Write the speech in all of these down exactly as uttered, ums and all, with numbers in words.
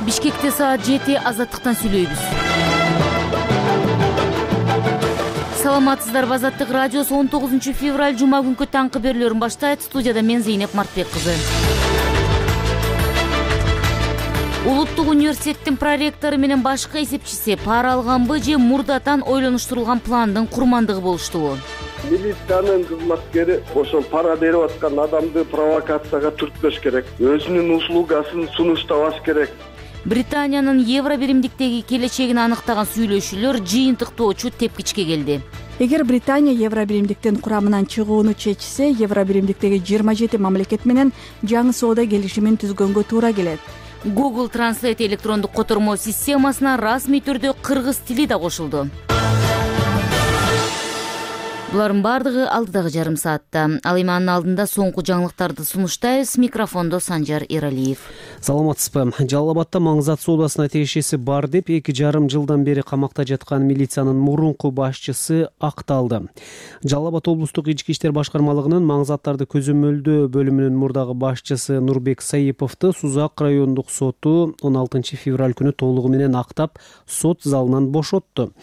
Бишкекте саат жети, Азаттыктан сүйлөйбүз. Саламатсыздарбы, Азаттык радиосу он тогузунчу февраль жума күнкү таңкы берүүлөрүн баштайт. Студияда мен Зейнеп Мартбек кызы. Улуттук университеттин проректору менен башкы эсепчиси пара алганбы же мурдатан ойлонуштурулган пландын курмандыгы болуштубу? Милициянын кызматкери ошо пара берип аткан адамды провокацияга түртпөш керек, өзүнүн услугасын сунуштабаш керек. Британиянын евро биримдиктеги келечегин аныктаган сүйлөшүүлөр жыйынтыктоочу тепкичке келди. Эгер Британия евро биримдиктин курамынан чыгууну чечсе, евро биримдиктеги жыйырма жети мамлекет менен жаңы соода келишимин түзгөнгө туура келет. Google Translate электрондук котормо системасына расмий түрдө кыргыз тили да кошулду. Булардын бардыгы алдыдагы жарым саатта. Ал эми анын алдында соңку жаңылыктарды сунуштайбыз. Микрофондо Санжар Эралиев. Саламатсызбы. Жалал Абадда Маңзат соодасына тиешеси бар деп эки жарым жылдан бери камакта жаткан милициянын мурунку башчысы акталды. Жалал Абад облустук ички иштер башкармалыгынын Маңзаттарды көзөмөлдөө бөлүмүнүн мурдагы башчысы Нурбек Саиповду Сузак райондук соту он алтынчы февраль күнү толугу менен актап, сот залынан бошотту.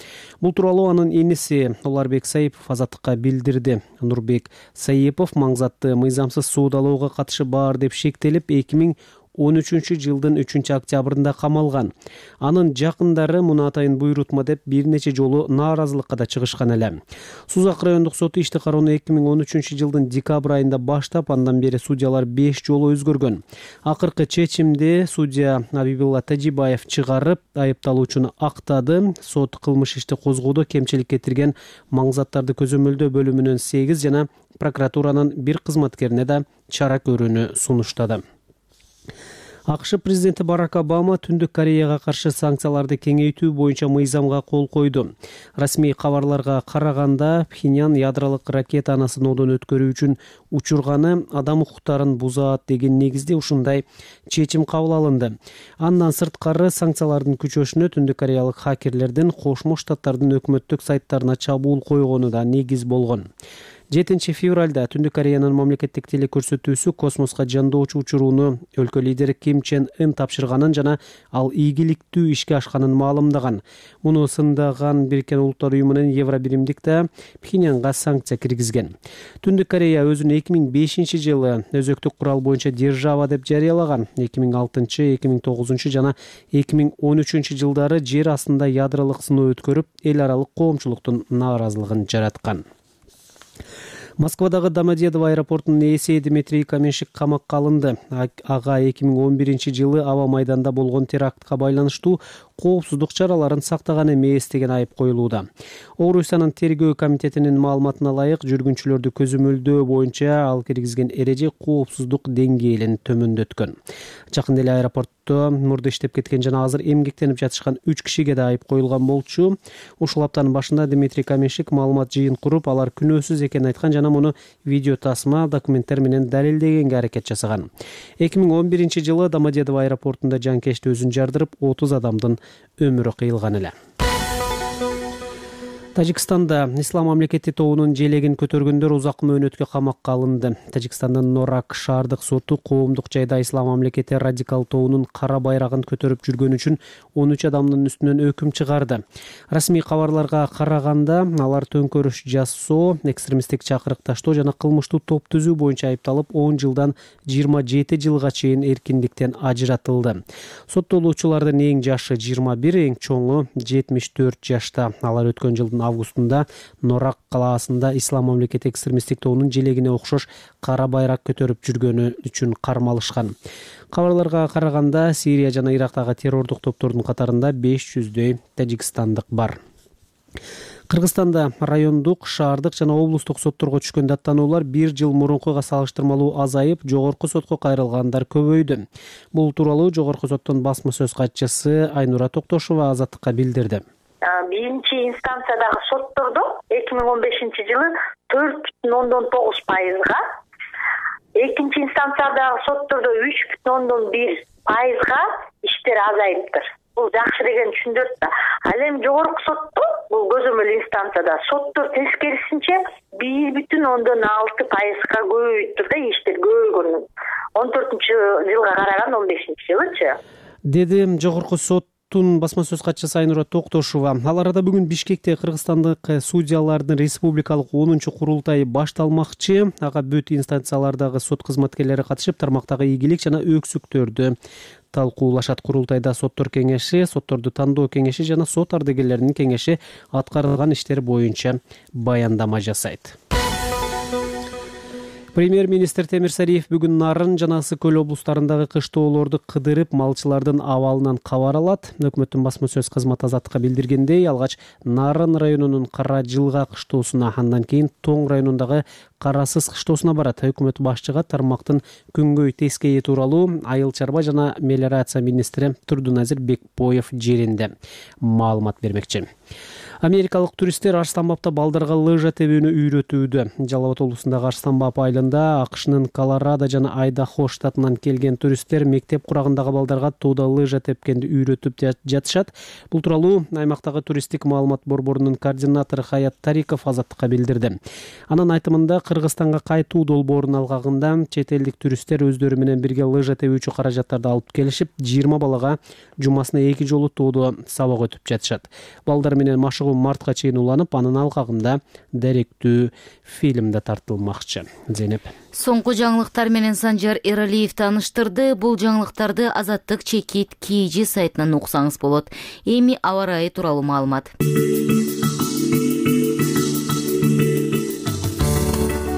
Бул тууралуу анын эниси Уларбек Саипов Азаттыкка билдирди. Нурбек Саипов Маңзатты мыйзамсыз суудалоого катышы бар деп шектелип, эки миң он үчүнчү жылдын үчүнчү октябрында камалган. Анын жакындары муну атайын буйрутма деп бир нече жолу нааразылыкка да чыгышкан эле. Сузак райондук соту ишти кароону эки миң он үчүнчү жылдын декабрь айында баштап, андан бери судьялар беш жолу өзгөргөн. Акыркы чечимди судья Абибилла Тажибаев чыгарып, айыпталуучуну актады. Сот кылмыш ишти козгоодо кемчилик кетирген Маңзаттарды көзөмөлдөө бөлүмүнүн сегиз жана прокуратуранын бир кызматкерине да чара көрүүнү сунуштады. АКШ президенти Барак Обама Түндүк Кореяга каршы санкцияларды кеңейтүү боюнча мыйзамга кол койду. Расмий кабарларга караганда, Пхеньян ядролук ракетаны сыноодон өткөрүү үчүн учурганы адам укуктарын бузат деген негизде ушундай чечим кабыл алынды. Андан сырткары санкциялардын күчөшүнө Түндүк Кореялык хакерлердин Кошмо Штаттардын өкмөттүк сайттарына чабуул койгону да негиз болгон. жетинчи февралда Түндүк Кореянын мамлекеттик телекөрсөтүүсү космоско жандоочу учурууну өлкө лидери Ким Чен Ын тапшырганын жана ал ийгиликтүү ишке ашканын маалымдаган. Муну сындаган Бириккен Улуттар уюмунун евро биримдикте Пхеньянга санкция киргизген. Түндүк Корея өзүн эки миң бешинчи жылы өзөктүк курал боюнча держава деп жарыялаган. эки миң алтынчы, эки миң тогузунчу жана эки миң он үчүнчү жылдары жер астында ядролук сыноо өткөрүп, эл аралык коомчулуктун нааразылыгын жараткан. Москвадагы Домодедово аэропортунун ээси Дмитрий Каменщик камакка алынды. Ага эки миң он биринчи жылы аба майданда болгон терактка байланыштуу коопсуздук чараларын сактаган эмес деген айып коюлууда. Орусиянын тергөө комитетинин маалыматына ылайык, жүргүнчүлөрдү көзөмөлдөө боюнча ал киргизген эреже коопсуздук деңгээлин төмөндөткөн. Жакында эле аэропортто мурда иштеп кеткен жана азыр эмгектенип жатышкан үч кишиге да айып коюлган болчу. Ушул аптанын башында Дмитрий Каменщик маалымат жыйын куруп, алар күнөөсүз экенин айткан жана муну видео тасма, документтер менен далилдегенге аракет жасаган. эки миң он биринчи жылы Домодедово аэропортунда жанкечти өзүн жардырып, отуз адамдын өмүрү кыйылган эле. Тажикстанда Ислам мамлекети тобунун желегин көтөргөндөр узак мөөнөткө камакка алынды. Тажикстандын Норак шаардык соту коомдук жайда Ислам мамлекети радикал тобунун кара байрагын көтөрүп жүргөн үчүн он үч адамдын үстүнөн өкүм чыгарды. Расмий кабарларга караганда, алар төңкөрүш жасоо, экстремисттик чакырык таштоо жана кылмыштуу топ түзүү боюнча айыпталып, он жылдан жыйырма жети жылга чейин эркиндиктен ажыратылды. Соттолуучулардын эң жашы жыйырма бир, эң чоңу жетимиш төрт жашта. Алар өткөн жылдын августунда Норак калаасында Ислам мамлекети экстремисттик тобунун желегине окшош кара байрак көтөрүп жүргөнү үчүн кармалышкан. Кабарларга караганда, Сирия жана Ирактагы террордук топтордун катарында беш жүздөй тажикстандык бар. Кыргызстанда райондук, шаардык жана облустук сотторго түшкөн даттануулар бир жыл мурункуга салыштырмалуу азайып, жогорку сотко кайрылгандар көбөйдү. Бул тууралуу жогорку соттун басма сөз катчысы Айнура Токтошова Азаттыкка билдирди. Биринчи инстанциядагы соттордо эки миң он бешинчи жылы төрт бүтүн ондон тогуз пайызга, экинчи инстанциядагы соттордо үч бүтүн ондон бир пайызга иштер азайыптыр. Бул жакшы деген түшүндүрөт да. Ал эми жогорку сотто, бул көзөмөл инстанцияда соттор тескерисинче бир бүтүн ондон алты пайызга көбөйүптүр да, иштер көбөйгөн. он төртүнчү жылга караганда он бешинчи жылычы. деди жогорку соттун басма сөз катчысы Айнура Токтошова. Ал арада бүгүн Бишкекте кыргызстандык судьялардын республикалык онунчу курултайы башталмакчы. Ага бүт инстанциялардагы сот кызматкерлери катышып, тармактагы ийгилик жана өксүктөрдү талкуулашат. Курултайда соттор кеңеши, сотторду тандоо кеңеши жана сот ардагерлеринин кеңеши аткарылган иштер боюнча баяндама жасайт. Премьер-министр Темир Сариев бүгүн Нарын жана Ысык көл облустарындагы кыштоолорду кыдырып, малчылардын абалынан кабар алат. Өкмөттүн басма сөз кызматы Азаттыкка билдиргендей, алгач Нарын районунун Кара Жылга кыштоосуна, андан кийин Тоң районундагы Карасыз кыштоосуна барат. Өкмөт башчыга тармактын күнгөй тескейи тууралуу айыл чарба жана мелиорация министри Турдуназир Бекбоев жеринде маалымат бермекчи. Америкалык туристтер Арстанбапта балдарга лыжа тебүүнү үйрөтүүдө. Жалал Абад облусундагы Арстанбап айылында АКШнын Колорадо жана Айдахо штатынан келген туристтер мектеп курагындагы балдарга тоодо лыжа тепкенди үйрөтүп жатышат. Бул тууралуу аймактагы туристтик маалымат борборунун координатору Хаят Тариков Азаттыкка билдирди. Анын айтымында, Кыргызстанга кайтуу долбоорун алгагында чет элдик туристтер өздөрү менен бирге лыжа тебүүчү каражаттарды алып келишип, жыйырма балага жумасына эки жолу тоодо сабак өтүп жатышат. Балдар менен машыгуу мартка чейин уланып, анын алкагында даректүү фильм да тартылмакчы. Зейнеп. Соңку жаңылыктар менен Санжар Эралиев тааныштырды. Бул жаңылыктарды Азаттык чекит Кийжи сайтынан уксаңыз болот. Эми аба ырайы тууралуу маалымат.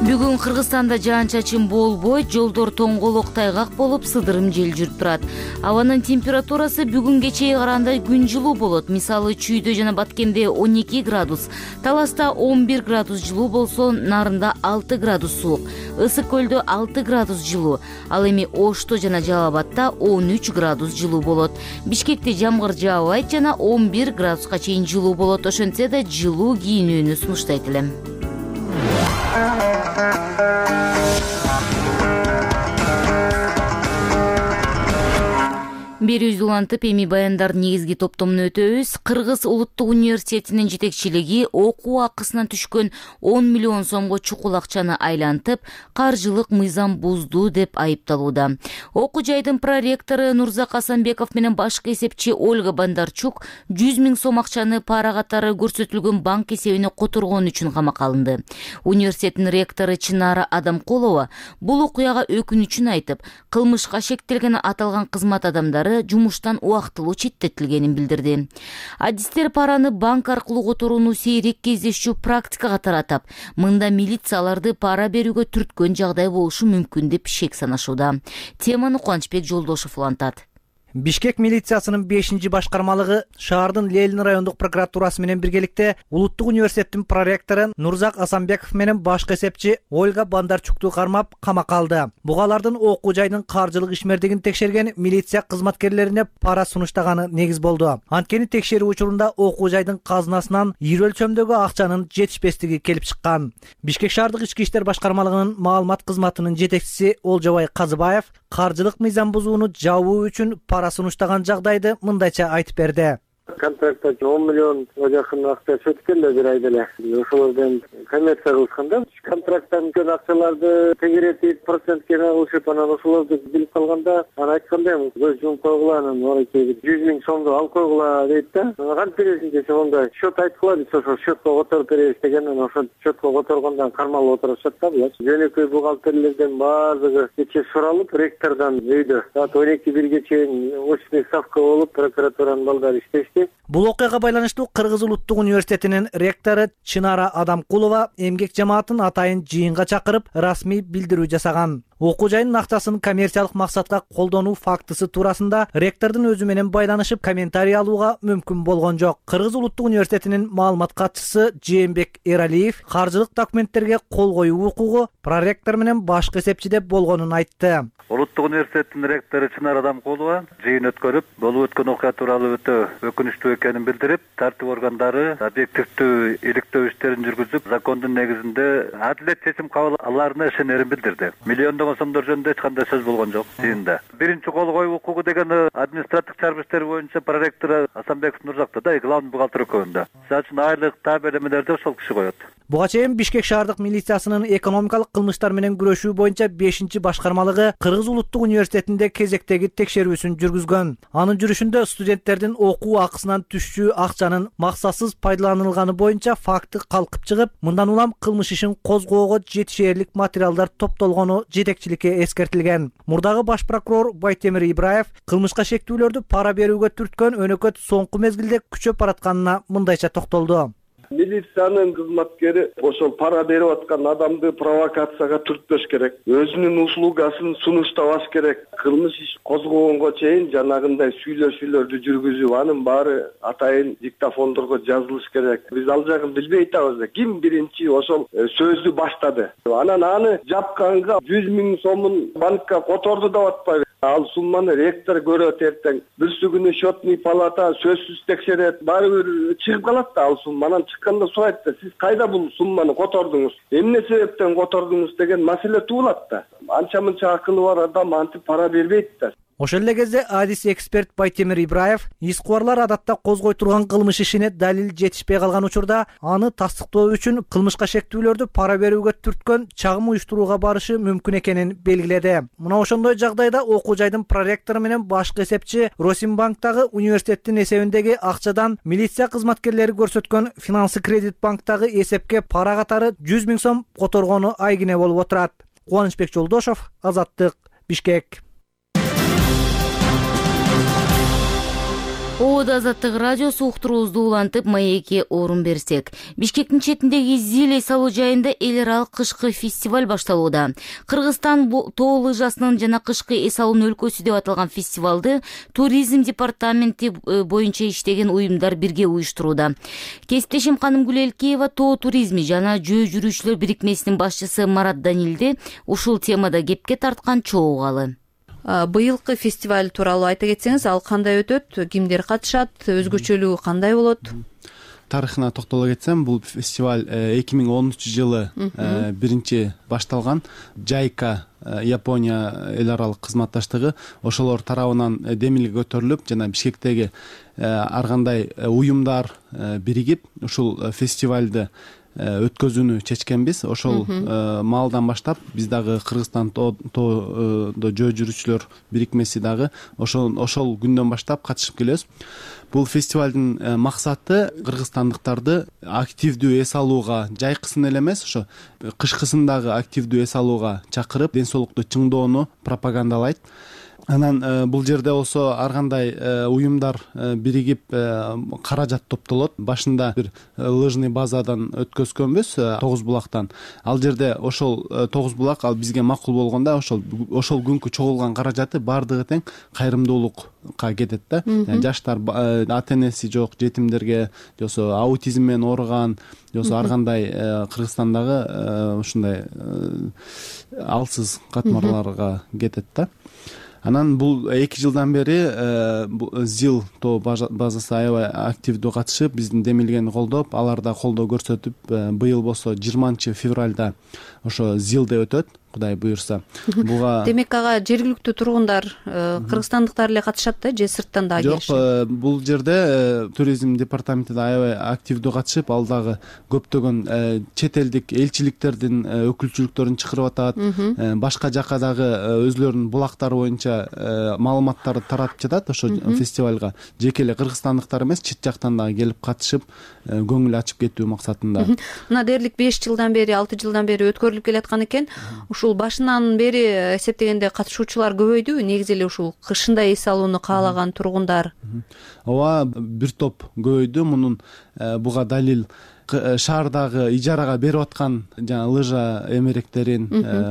Бүгүн Кыргызстанда жаан-чачын болбойт, жолдор тоңголок тайгак болуп, сыдырым жел жүрүп турат. Абанын температурасы бүгүн кечээ караганда күн жылуу болот. Мисалы, Чүйдө жана Баткенде он эки градус, Таласта он бир градус жылуу болсо, Нарында алты градус суук, Ысык көлдө алты градус жылуу. Ал эми Ошто жана Жалал Абадта он үч градус жылуу болот. Бишкекте жамгыр жаабайт жана он бир градуска чейин жылуу болот. Ошентсе да жылуу кийинүүнү сунуштайт элем. Берүүбүздү улантып, эми баяндардын негизги топтомун өтөбүз. Кыргыз улуттук университетинин жетекчилиги окуу акысынан түшкөн он миллион сомго чукул акчаны айлантып, каржылык мыйзам бузду деп айыпталууда. Окуу жайдын проректору Нурзак Асанбеков менен башкы эсепчи Ольга Бондарчук жүз миң сом акчаны пара катары көрсөтүлгөн банк эсебине которгон үчүн камакка алынды. Университеттин ректору Чынара Адамкулова бул окуяга өкүнүчүн айтып, кылмышка шектелген аталган кызмат адамдары жумуштан убактылуу четтетилгенин билдирди. Адистер параны банк аркылуу которууну сейрек кездешүү практикага таратып, мында милицияларды пара берүүгө түрткөн жагдай болушу мүмкүн деп шек санашууда. Теманы Кубанычбек Жолдошов улантат. Бишкек милициясынын бешинчи башкармалыгы шаардын Ленин райондук прокуратурасы менен биргеликте Улуттук университеттин проректору Нурзак Асанбеков менен башкы эсепчи Ольга Бондарчукту кармап камакка алды. Бугалардын окуу жайдын каржылык ишмердигин текшерген милиция кызматкерлерине пара сунуштаганы негиз болду. Анткени текшерүү учурунда окуу жайдын казынасынан ийри өлчөмдөгү акчанын жетишпестиги келип чыккан. Бишкек шаардык ички иштер башкармалыгынын маалымат кызматынын жетекчиси Олжобай Казыбаев каржылык мыйзам бузууну жабуу үчүн пара сунуштаган жагдайды мындайча айтып берди. Контрактта он миллионга жакын акча өтүп келди бир айда эле. Ошолордон коммерция кылышканда контракттан өткөн акчаларды тегеретип, процентке алышып, анан ошолорду билип калганда, анан айткандай, көз жумуп койгула, анан орайчы жүз миң сомду алып койгула дейт да. Кантип бересиң десе, онда счет айткыла дейт, ошо счетко которуп беребиз деген, анан ошо счетко которгондон кармалып отурушат да булар. Жөнөкөй бухгалтерлерден баардыгы кечээ суралып, ректордон өйдө саат он эки бирге чейин очный ставка болуп, прокуратуранын балдары иштешти. Бул окуяга байланыштуу Кыргыз улуттук университетинин ректору Чынара Адамкулова эмгек жамаатын атайын жыйынга чакырып, расмий билдирүү жасаган. Окуу жайдын акчасын коммерциялык максатка колдонуу фактысы туурасында ректордун өзү менен байланышып комментарий алууга мүмкүн болгон жок. Кыргыз улуттук университетинин маалымат катчысы Жээнбек Эралиев каржылык документтерге кол коюу укугу проректор менен башкы эсепчиде болгонун айтты. Улуттук университеттин ректору Чынара Адамкулова жыйын өткөрүп, болуп өткөн окуя тууралуу өтө өкүнүчтүү экенин билдирип, тартип органдары объективдүү иликтөө иштерин жүргүзүп, закондун негизинде адилет чечим кабыл аларына ишенерин билдирди. Миллиондогон миллион сомдор жөнүндө эч кандай сөз болгон жок жыйында. Биринчи кол коюу укугу деген административдик чарбы иштери боюнча проректору Асанбеков Нурзакта да, главный бухгалтер экөөндө. Сага үчүн айлык таап элемелерди ошол киши коет. Буга чейин Бишкек шаардык милициясынын экономикалык кылмыштар менен күрөшүү боюнча бешинчи башкармалыгы Кыргыз улуттук университетинде кезектеги текшерүүсүн жүргүзгөн. Анын жүрүшүндө студенттердин окуу акысынан түшчү акчанын максатсыз пайдаланылганы боюнча факты калкып чыгып, мындан улам кылмыш ишин козгоого жетишээрлик материалдар топтолгону жетекчиликке эскертилген. Мурдагы баш прокурор Байтемир Ибраев кылмышка шектүүлөрдү пара берүүгө түрткөн өнөкөт соңку мезгилде күчөп баратканына мындайча токтолду. Милициянын кызматкери ошол пара берип аткан адамды провокацияга түртпөш керек, өзүнүн услугасын сунуштабаш керек. Кылмыш иш козгогонго чейин жанагындай сүйлөшүүлөрдү жүргүзүп, анын баары атайын диктофондорго жазылыш керек. Биз ал жагын билбей атабыз да, ким биринчи ошол сөздү баштады. Анан аны жапканга жүз миң сомун банкка которду деп атпайбы? Ал сумманы ректор көрөт эртең. Бүрсү күнү счетный палата сөзсүз текшерет. Баары бир чыгып калат да ал сумма. Анан чыкканда сурайт да, сиз кайда бул сумманы котордуңуз? Эмне себептен котордуңуз деген маселе туулат да. Анча-мынча акылы бар адам антип пара бербейт да. Ошол эле кезде адис эксперт Байтемир Ибраев иш кубарлар адатта козгой турган кылмыш ишине далил жетишпей калган учурда аны тастыктоо үчүн кылмышка шектүүлөрдү пара берүүгө түрткөн чагым уюштурууга барышы мүмкүн экенин белгиледи. Мына ошондой жагдайда окуу жайдын проректору менен башкы эсепчи Росимбанктагы университеттин эсебиндеги акчадан милиция кызматкерлери көрсөткөн Финансы Кредит банктагы эсепке пара катары жүз миң сом которгону айгине болуп отурат. Кубанычбек Жолдошов, Азаттык, Бишкек. Оода Азаттык радиосу уктуруубузду улантып маекке орун берсек. Бишкектин четиндеги Зил эс алуу жайында эл аралык кышкы фестиваль башталууда. Кыргызстан тоо лыжасынын жана кышкы эс алуунун өлкөсү деп аталган фестивалды туризм департаменти боюнча иштеген уюмдар бирге уюштурууда. Кесиптешим Канымгүл Элкеева тоо туризми жана жөө жүрүүчүлөр бирикмесинин башчысы Марат Данилди ушул темада кепке тарткан чогуу калы. Быйылкы фестиваль тууралуу айта кетсеңиз, ал кандай өтөт, кимдер катышат, өзгөчөлүгү кандай болот? Тарыхына токтоло кетсем, бул фестиваль эки миң онунчу жылы биринчи башталган. Жайка Япония эл аралык кызматташтыгы ошолор тарабынан демилге көтөрүлүп, жана Бишкектеги ар кандай уюмдар биригип ушул фестивалды өткөзүүнү чечкенбиз. Ошол маалдан баштап биз дагы Кыргызстан тоодо жөө жүрүүчүлөр бирикмеси дагы ошол ошол күндөн баштап катышып келебиз. Бул фестивалдын максаты кыргызстандыктарды активдүү эс алууга, жайкысын эле эмес, ошо кышкысын дагы активдүү эс алууга чакырып, ден соолукту чыңдоону пропагандалайт. Анан бул жерде болсо ар кандай уюмдар биригип каражат топтолот. Башында бир лыжный базадан өткөзгөнбүз, Тогуз булактан. Ал жерде ошол Тогуз булак ал бизге макул болгондо ошол ошол күнкү чогулган каражаты бардыгы тең кайрымдуулукка кетет да. Жаштар, ата-энеси жок жетимдерге, жосо аутизм менен ооруган, жосо ар кандай Кыргызстандагы ушундай алсыз катмарларга кетет да. Анан бул эки жылдан бери Зил тоо базасы аябай активдүү катышып, биздин демилгени колдоп, алар да колдоо көрсөтүп, быйыл болсо жыйырманчы февралда ошо Зилде өтөт, Кудай буйрса. Буга демек ага жергиликтүү тургундар, кыргызстандыктар эле катышат да, же сырттан дагы келишет? Жок, бул жерде туризм департаменти да аябай активдүү катышып, ал дагы көптөгөн чет элдик элчиликтердин өкүлчүлүктөрүн чакырып атат. Башка жака дагы өзлөрүнүн булактары боюнча маалыматтарды таратып жатат ошо фестивалга. Жеке эле кыргызстандыктар эмес, чет жактан дагы келип катышып, көңүл ачып кетүү максатында. Мына дээрлик беш жылдан бери, алты жылдан бери өткөрүлүп келаткан экен. Ушул башынан бери эсептегенде катышуучулар көбөйдүбү? Негизи эле ушул кышында эс алууну каалаган тургундар. Ооба, бир топ көбөйдү. Мунун буга далил шаардагы ижарага берип аткан жана лыжа эмеректерин,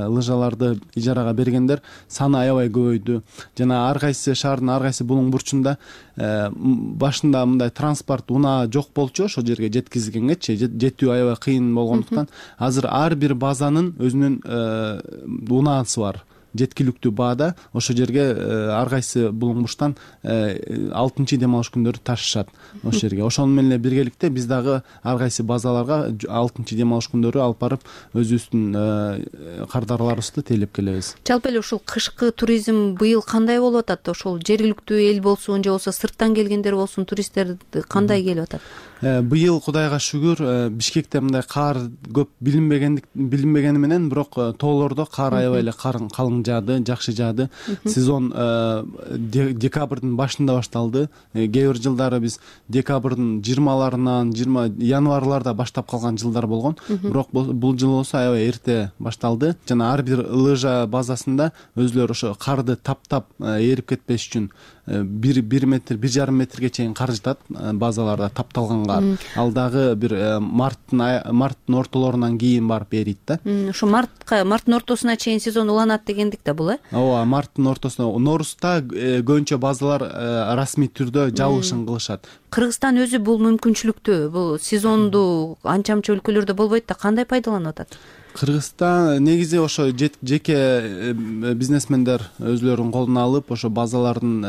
лыжаларды ижарага бергендер саны аябай көбөйдү. Жана ар кайсы шаардын ар кайсы булуң бурчунда башында мындай транспорт унаа жок болчу, ошол жерге жеткизгенгечи жетүү аябай кыйын болгондуктан азыр ар бир базанын өзүнүн унаасы бар. жеткиликтүү баада ошол жерге ар кайсы булуңмуштан алтынчы дем алыш күндөрү ташышат ошол жерге. Ошону менен эле биргеликте биз дагы ар кайсы базаларга алтынчы дем алыш күндөрү алып барып өзүбүздүн кардарларыбызды тейлеп келебиз. Жалпы эле ушул кышкы туризм быйыл кандай болуп атат? Ошол жергиликтүү эл болсун же болбосо сырттан келгендер болсун, туристтер кандай келип атат? Быйыл Кудайга шүгүр Бишкекте мындай кар көп билинбегендик билинбегени менен, бирок тоолордо кар аябай эле калың жаады, жакшы жаады. Сезон декабрдын башында башталды. Кээ бир жылдары биз декабрдын жыйырмаларынан, жыйырма январларда баштап калган жылдар болгон. Бирок бул жыл болсо аябай эрте башталды. Жана ар бир лыжа базасында өзүлөр ошо карды таптап эрип кетпеш үчүн бир бир метр, бир жарым метрге чейин кар жатат базаларда, тапталган кар. Ал дагы бир марттын марттын ортолорунан кийин барып эрийт да. Ошо мартка, марттын ортосуна чейин сезон уланат дегендик да бул, э? Ооба, марттын ортосуна, Норузда көбүнчө базалар расмий түрдө жабылышын кылышат. Кыргызстан өзү бул мүмкүнчүлүктү, бул сезонду анча-мынча өлкөлөрдө болбойт да, кандай пайдаланып атат? Кыргызстан негизи ошо жеке бизнесмендер өзүлөрүнүн колуна алып, ошо базалардын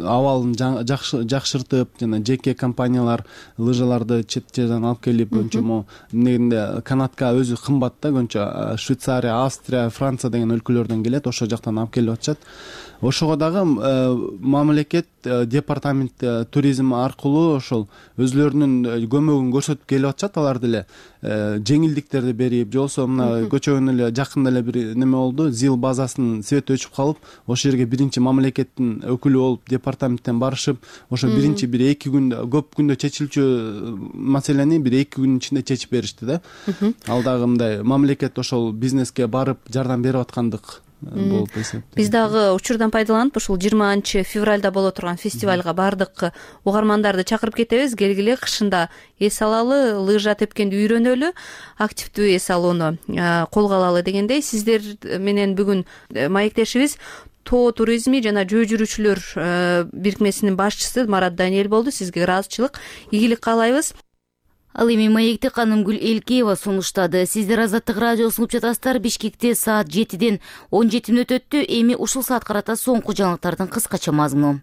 абалын жакшыртып, жана жеке компаниялар лыжаларды чет жерден алып келип, көбүнчө могу негизинде канатка өзү кымбат да, көбүнчө Швейцария, Австрия, Франция деген өлкөлөрдөн келет, ошол жактан алып келип атышат. Ошого дагы мамлекет департамент туризм аркылуу ошол өзүлөрүнүн көмөгүн көрсөтүп келип атышат. Алар деле жеңилдиктерди берип, же болбосо мына көчөгөн эле жакында эле бир неме болду, ЗИЛ базасынын свети өчүп калып, ошол жерге биринчи мамлекеттин өкүлү болуп департаменттен барышып, ошо биринчи бир эки күндө, көп күндө чечилчү маселени бир эки күнүн ичинде чечип беришти да. Ал дагы мындай мамлекет ошол бизнеске барып жардам берип аткандык. Биз дагы учурдан пайдаланып ушул жыйырманчы февралда боло турган фестивалга бардык угармандарды чакырып кетебиз. Келгиле, кышында эс алалы, лыжа тепкенди үйрөнөлү, активдүү эс алууну колго алалы дегендей. Сиздер менен бүгүн маектешибиз тоо туризми жана жөө жүрүүчүлөр бирикмесинин башчысы Марат Даниэль болду. Сизге ыраазычылык, ийгилик каалайбыз. Ал эми маекти Канымгүл Элкеева сунуштады. Сиздер Азаттык радиосун угуп жатасыздар. Бишкекте саат жетиден он жети мүнөт өттү. Эми ушул саат карата соңку жаңылыктардын кыскача мазмуну.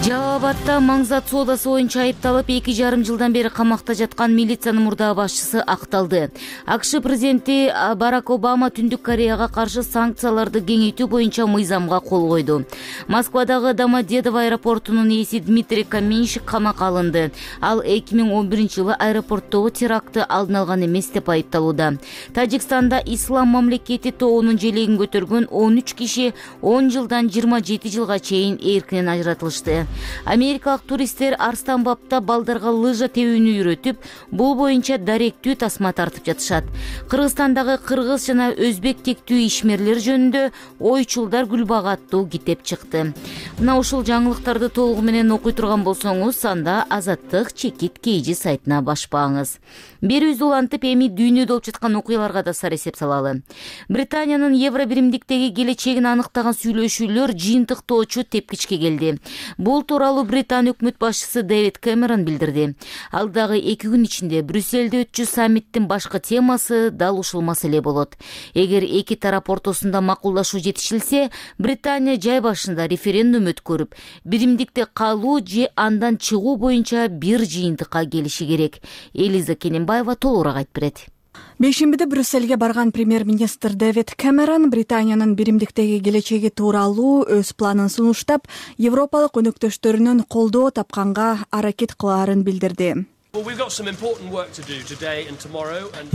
Жалал Абадда маңзат соодасы боюнча айыпталып эки жарым жылдан бери камакта жаткан милициянын мурдагы башчысы акталды. АКШ президенти Барак Обама Түндүк Кореяга каршы санкцияларды кеңейтүү боюнча мыйзамга кол койду. Москвадагы Домодедово аэропортунун ээси Дмитрий Каменщик камакка алынды. Ал эки миң он биринчи жылы аэропорттогу терактты алдын алган эмес деп айыпталууда. Тажикстанда ислам мамлекети тоонун желегин көтөргөн он үч киши он жылдан жыйырма жети жылга чейин эркинен ажыратылышты. Америкалык туристтер Арстан бабта балдарга лыжа тебүүнү үйрөтүп, бул боюнча даректүү тасма тартып жатышат. Кыргызстандагы кыргыз жана өзбек тектүү ишмерлер жөнүндө ойчулдар Гүлбага аттуу китеп чыкты. Мына ушул жаңылыктарды толугу менен окуй турган болсоңуз, анда Азаттык чекит кейжи сайтына башпаңыз. Берүүбүздү улантып, эми дүйнөдө болуп жаткан окуяларга да сар эсеп салалы. Британиянын Евро биримдиктеги келечегин аныктаган сүйлөшүүлөр жыйынтыктоочу тепкичке келди. Бул тууралуу Британия өкмөт башчысы Дэвид Кэмерон билдирди. Алдагы эки күн ичинде Брюссельде өтчү саммиттин башкы темасы дал ушул маселе болот. Эгер эки тарап ортосунда макулдашуу жетишилсе, Британия жай башында референдум өткөрүп, биримдикте калуу же андан чыгуу боюнча бир жыйынтыкка келиши керек. Элиза Кененбаева толугураак айтып берет. Бейшембиде Брюссельге барган премьер-министр Дэвид Кэмерон Британиянын биримдиктеги келечеги тууралуу өз планын сунуштап, европалык өнөктөштөрүнөн колдоо тапканга аракет кылаарын билдирди.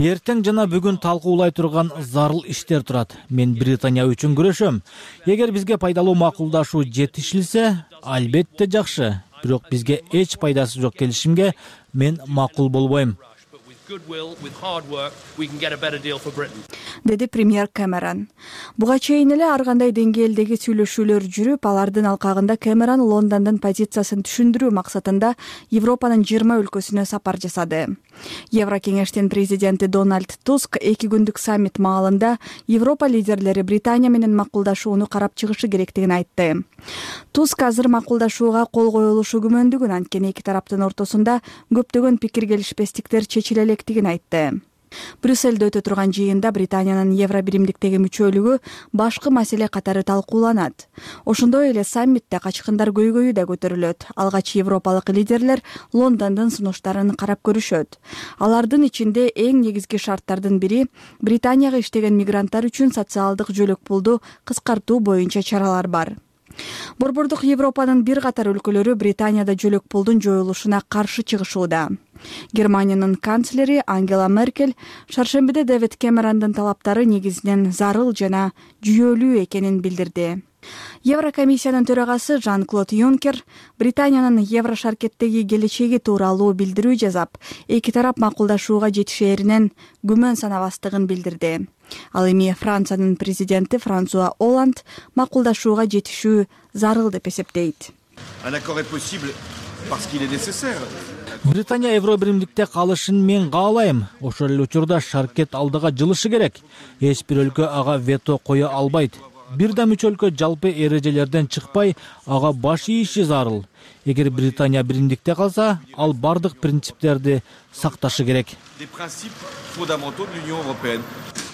Эртең жана бүгүн талкуулай турган зарыл иштер турат. Мен Британия үчүн күрөшөм. Эгер бизге пайдалуу макулдашуу жетишилсе, албетте жакшы. Бирок бизге эч пайдасы жок келишимге мен макул болбойм. Деди премьер Кэмерон. Буга чейин эле ар кандай деңгээлдеги сүйлөшүүлөр жүрүп, алардын алкагында Кэмерон Лондондун позициясын түшүндүрүү максатында Европанын жыйырма өлкөсүнө сапар жасады. Еврокеңештин президенти Дональд Туск эки күндүк саммит маалында Европа лидерлери Британия менен макулдашууну карап чыгышы керектигин айтты. Туск азыр макулдашууга кол коюлушу күмөндүгүн, анткени эки тараптын ортосунда көптөгөн пикир келишпестиктер чечиле электигин айтты. Брюссельде өтө турган жыйында Британиянын евро биримдиктеги мүчөлүгү башкы маселе катары талкууланат. Ошондой эле саммитте качкындар көйгөйү да көтөрүлөт. Алгач европалык лидерлер Лондондун сунуштарын карап көрүшөт. Алардын ичинде эң негизги шарттардын бири Британияга иштеген мигранттар үчүн социалдык жөлөк пулду кыскартуу боюнча чаралар бар. Борбордук Европанын бир катар өлкөлөрү Британияда жөлөк пулдун жоюлушуна каршы чыгышууда. Германиянын канцлери Ангела Меркель шаршембиде Дэвид Кэмерондун талаптары негизинен зарыл жана жүйөлүү экенин билдирди. Еврокомиссиянын төрагасы Жан-Клод Юнкер Британиянын евро шаркеттеги келечеги тууралуу билдирүү жазап, эки тарап макулдашууга жетишээринен күмөн санабастыгын билдирди. Ал эми Франциянын президенти Франсуа Олланд макулдашууга жетишүү зарыл деп эсептейт. Британия евро биримдикте калышын мен каалайм. Ошол эле учурда шаркет алдыга жылышы керек. Эч бир өлкө ага вето кое албайт. Бир да мүчө өлкө жалпы эрежелерден чыкпай, ага баш ийиши зарыл. Эгер Британия биримдикте калса, ал бардык принциптерди сакташы керек.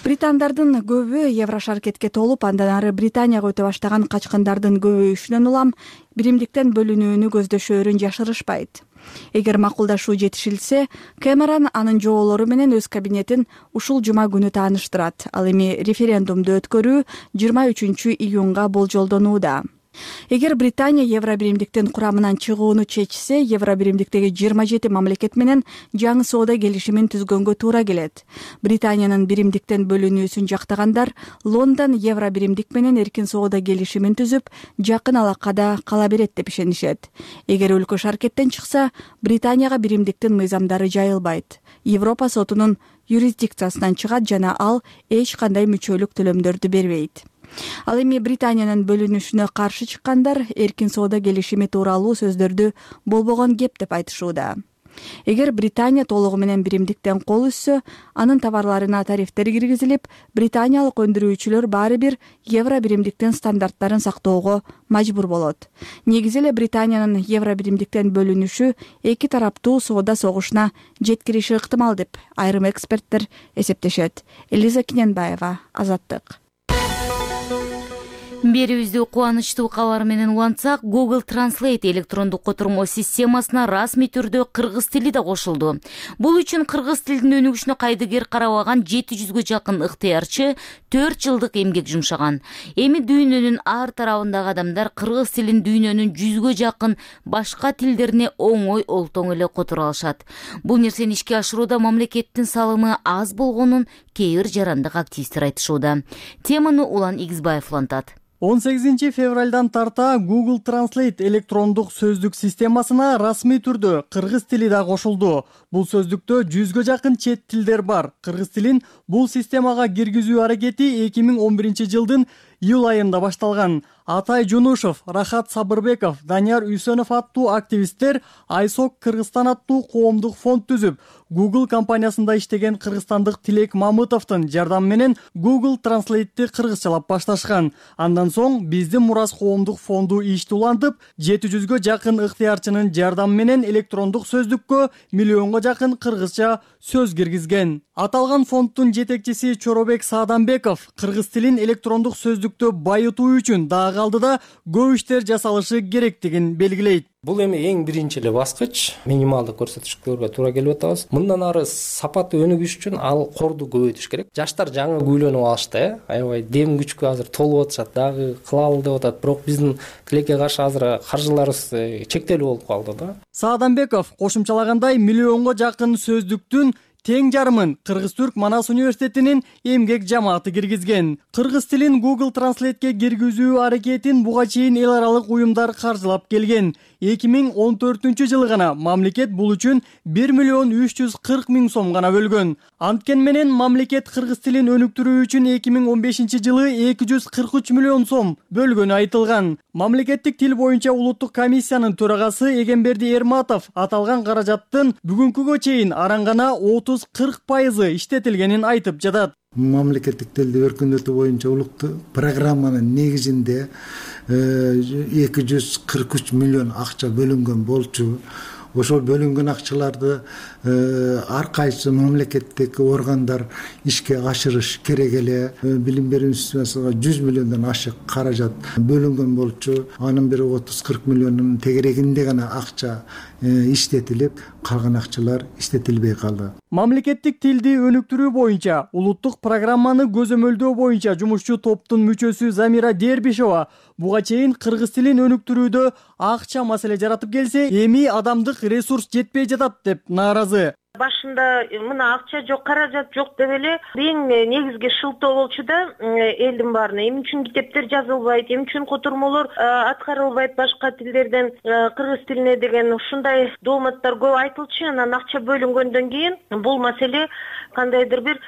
Британдардын көбү евро шаркетке толуп, андан ары Британияга өтө баштаган качкындардын көбөйүшүнөн улам биримдиктен бөлүнүүнү көздөшөөрүн жашырышпайт. Эгер макулдашуу жетишилсе, Кэмерон анын жоолору менен өз кабинетин ушул жума күнү тааныштырат. Ал эми референдумду өткөрүү жыйырма үчүнчү июнга болжолдонууда. Эгер Британия евро биримдиктин курамынан чыгууну чечсе, евро биримдиктеги жыйырма жети мамлекет менен жаңы соода келишимин түзгөнгө туура келет. Британиянын биримдиктен бөлүнүүсүн жактагандар Лондон евро биримдик менен эркин соода келишимин түзүп, жакын алакада кала берет деп ишенишет. Эгер өлкө шаркеттен чыкса, Британияга биримдиктин мыйзамдары жайылбайт. Европа сотунун юрисдикциясынан чыгат жана ал эч кандай мүчөлүк төлөмдөрдү бербейт. Ал эми Британиянын бөлүнүшүнө каршы чыккандар эркин соода келишими тууралуу сөздөрдү болбогон кеп деп айтышууда. Эгер Британия толугу менен биримдиктен кол үзсө, анын товарларына тарифтер киргизилип, британиялык өндүрүүчүлөр баары бир евро биримдиктин стандарттарын сактоого мажбур болот. Негизи эле Британиянын евро биримдиктен бөлүнүшү эки тараптуу соода согушуна жеткириши ыктымал деп айрым эксперттер эсептешет. Элиза Киненбаева, Азаттык. Берүүбүздү кубанычтуу кабар менен улантсак, Google Translate электрондук котормо системасына расмий түрдө кыргыз тили да кошулду. Бул үчүн кыргыз тилдин өнүгүшүнө кайдыгер карабаган жети жүзгө жакын ыктыярчы төрт жылдык эмгек жумшаган. Эми дүйнөнүн ар тарабындагы адамдар кыргыз тилин дүйнөнүн жүзгө жакын башка тилдерине оңой олтоң эле которо алышат. Бул нерсени ишке ашырууда мамлекеттин салымы аз болгонун кээ бир жарандык активисттер айтышууда. Теманы Улан Игизбаев улантат. он сегизинчи февралдан тарта Google Translate электрондук сөздүк системасына расмий түрдө кыргыз тили да кошулду. Бул сөздүктө жүзгө жакын чет тилдер бар. Кыргыз тилин бул системага киргизүү аракети эки миң он биринчи жылдын июль айында башталган. Атай Жунушев, Рахат Сабырбеков, Данияр Үсөнов аттуу активисттер Айсок Кыргызстан аттуу коомдук фонд түзүп, Google компаниясында иштеген кыргызстандык Тилек Мамытовдун жардамы менен Google Translate'ти кыргызчалап башташкан. Андан соң биздин Мурас коомдук фонду ишти улантып, жети жүзгө жакын ыктыярчынын жардамы менен электрондук сөздүккө миллионго жакын кыргызча сөз киргизген. Аталган фонддун жетекчиси Чоробек Сааданбеков кыргыз тилин электрондук сөздүктө байытуу үчүн дагы алдыда көп иштер жасалышы керектигин белгилейт. Бул эми эң биринчи эле баскыч, минималдык көрсөткүчтөргө туура келип атабыз. Мындан ары сапаты өнүгүш үчүн ал корду көбөйтүш керек. Жаштар жаңы күйлөнүп алышты, э, аябай дем күчкө азыр толуп атышат, дагы кылалы деп атат. Бирок биздин тилекке каршы азыр каржыларыбыз чектелүү болуп калды да. Сааданбеков кошумчалагандай миллионго жакын сөздүктүн тең жарымын Кыргыз-Түрк Манас университетинин эмгек жамааты киргизген. Кыргыз тилин Google Translate'ке киргизүү аракетин буга чейин эл аралык уюмдар каржылап келген. эки миң он төртүнчү жылы гана мамлекет бул үчүн бир миллион үч жүз кырк миң сом гана бөлгөн. Анткен менен мамлекет кыргыз тилин өнүктүрүү үчүн эки миң он бешинчи жылы эки жүз кырк үч миллион сом бөлгөнү айтылган. Мамлекеттик тил боюнча улуттук комиссиянын төрагасы Эгемберди Эрматов аталган каражаттын бүгүнкүгө чейин араңгана отуз кырк пайызы иштетилгенин айтып жатат. Мамлекеттик тилди өркүндөтүү боюнча улуттук программанын негизинде эки жүз кырк үч миллион акча бөлүнгөн болчу. ошол бөлүнгөн акчаларды ар кайсы мамлекеттик органдар ишке ашырыш керек эле. Билим берүү системасына жүз миллиондон ашык каражат бөлүнгөн болчу. Анын бир отуз кырк миллионунун тегерегинде гана акча иштетилип, калган акчалар иштетилбей калды. Мамлекеттик тилди өнүктүрүү боюнча улуттук программаны көзөмөлдөө боюнча жумушчу топтун мүчөсү Замира Дербишова буга чейин кыргыз тилин өнүктүрүүдө акча маселе жаратып келсе, эми адамдык ресурс жетпей жатат деп нааразы. Башында мына акча жок, каражат жок деп эле эң негизги шылтоо болчу да элдин баарына. Эмне үчүн китептер жазылбайт, эмне үчүн котормолор аткарылбайт башка тилдерден кыргыз тилине деген ушундай дооматтар көп айтылчу. Анан акча бөлүнгөндөн кийин бул маселе кандайдыр бир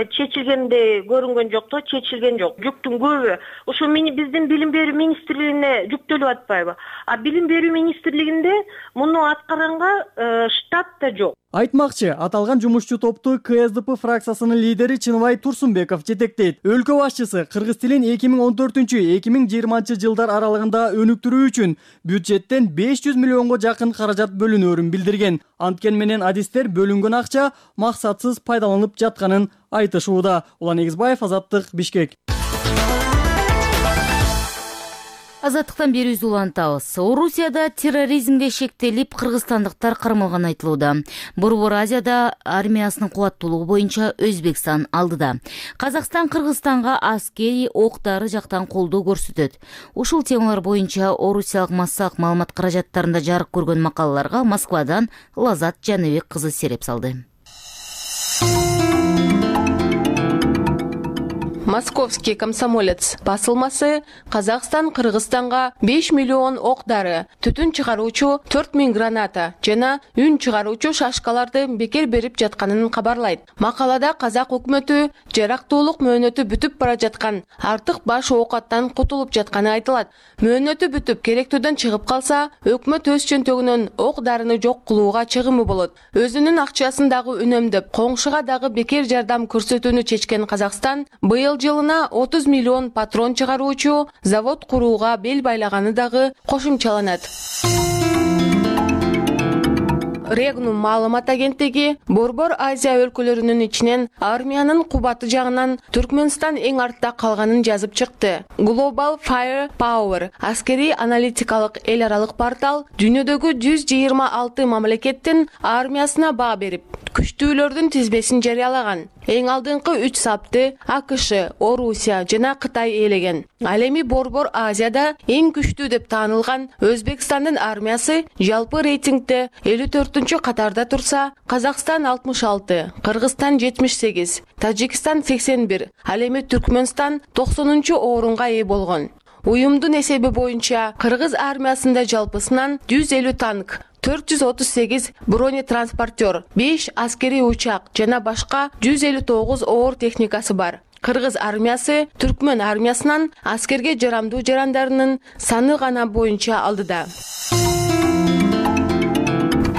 чечилгендей көрүнгөн жок то, чечилген жок. Жүктүн көбү ошо биздин билим берүү министрлигине жүктөлүп атпайбы? А билим берүү министрлигинде муну аткаранга штат да жок. Айтмакчы, аталган жумушчу топту ка эс дэ пэ фракциясынын лидери Чыныбай Турсунбеков жетектейт. Өлкө башчысы кыргыз тилин эки миң он төртүнчү — эки миң жыйырманчы жылдар аралыгында өнүктүрүү үчүн бюджеттен беш жүз миллионго жакын каражат бөлүнөөрүн билдирген. Анткен менен адистер бөлүнгөн акча максатсыз пайдаланып жатканын айтышууда. Улан Эгизбаев, Азаттык, Бишкек. Азаттыктан берүүбүздү улантабыз. Орусияда терроризмге шектелип, кыргызстандыктар кармалган айтылууда. Борбор Азияда армиясынын кубаттуулугу боюнча Өзбекстан алдыда. Казакстан Кыргызстанга аскери ок-дары жактан колдоо көрсөтөт. Ушул темалар боюнча орусиялык массалык маалымат каражаттарында жарык көргөн макалаларга Москвадан Лазат Жаныбек кызы сереп салды. Московский комсомолец басылмасы Казакстан Кыргызстанга беш миллион ок-дары, түтүн чыгаруучу төрт миң граната жана үн чыгаруучу шашкаларды бекер берип жатканын кабарлайт. Макалада казак өкмөтү жарактуулук мөөнөтү бүтүп бара жаткан, артык баш оокаттан кутулуп жатканы айтылат. Мөөнөтү бүтүп керектүүдөн чыгып калса, өкмөт өз чөнтөгүнөн ок-дарыны жок кылууга чыгымы болот. Өзүнүн акчасын дагы үнөмдөп, коңшуга дагы бекер жардам көрсөтүүнү чечкен Казакстан быйыл жылына отуз миллион патрон чыгаруучу завод курууга бел байлаганы дагы кошумчаланат. Регнум маалымат агенттиги Борбор Азия өлкөлөрүнүн ичинен армиянын кубаты жагынан Түркмөнстан эң артта калганын жазып чыкты. Global Fire Power аскери аналитикалык эл аралык портал дүйнөдөгү жүз жыйырма алты мамлекеттин армиясына баа берип, күчтүүлөрдүн тизбесин жарыялаган. Эң алдыңкы үч сапты АКШ, Орусия жана Кытай ээлеген. Ал эми Борбор Азияда эң күчтүү деп таанылган Өзбекстандын армиясы жалпы рейтингде элүү төртүнчү катарда турса, Казакстан алтымыш алты, Кыргызстан жетимиш сегиз, Тажикстан сексен бир, ал эми Түркмөнстан токсонунчу орунга ээ болгон. Уюмдун эсеби боюнча кыргыз армиясында жалпысынан жүз элүү танк, төрт жүз отуз сегиз бронетранспортер, беш аскери учак жана башка жүз элүү тогуз оор техникасы бар. Кыргыз армиясы Түркмөн армиясынан аскерге жарамдуу жарандарынын саны гана боюнча алдыда.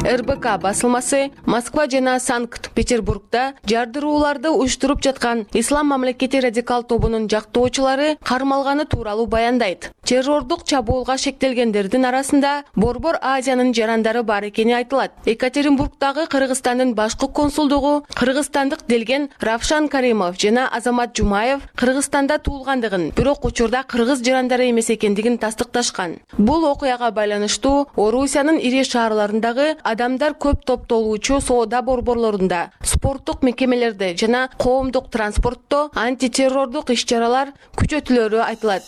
эр бэ ка басылмасы Москва жана Санкт-Петербургда жардырууларды уюштуруп жаткан Ислам мамлекети радикал тобунун жактоочулары кармалганы тууралуу баяндайт. Террордук чабуулга шектелгендердин арасында Борбор Азиянын жарандары бар экени айтылат. Екатеринбургдагы Кыргызстандын башкы консулдугу кыргызстандык делген Равшан Каримов жана Азамат Жумаев Кыргызстанда туулгандыгын, бирок учурда кыргыз жарандары эмес экендигин тастыкташкан. Бул окуяга байланыштуу Орусиянын ири шаарларындагы адамдар көп топтолуучу соода борборлорунда, спорттук мекемелерде жана коомдук транспортто антитеррордук иш-чаралар күчөтүлөрү айтылат.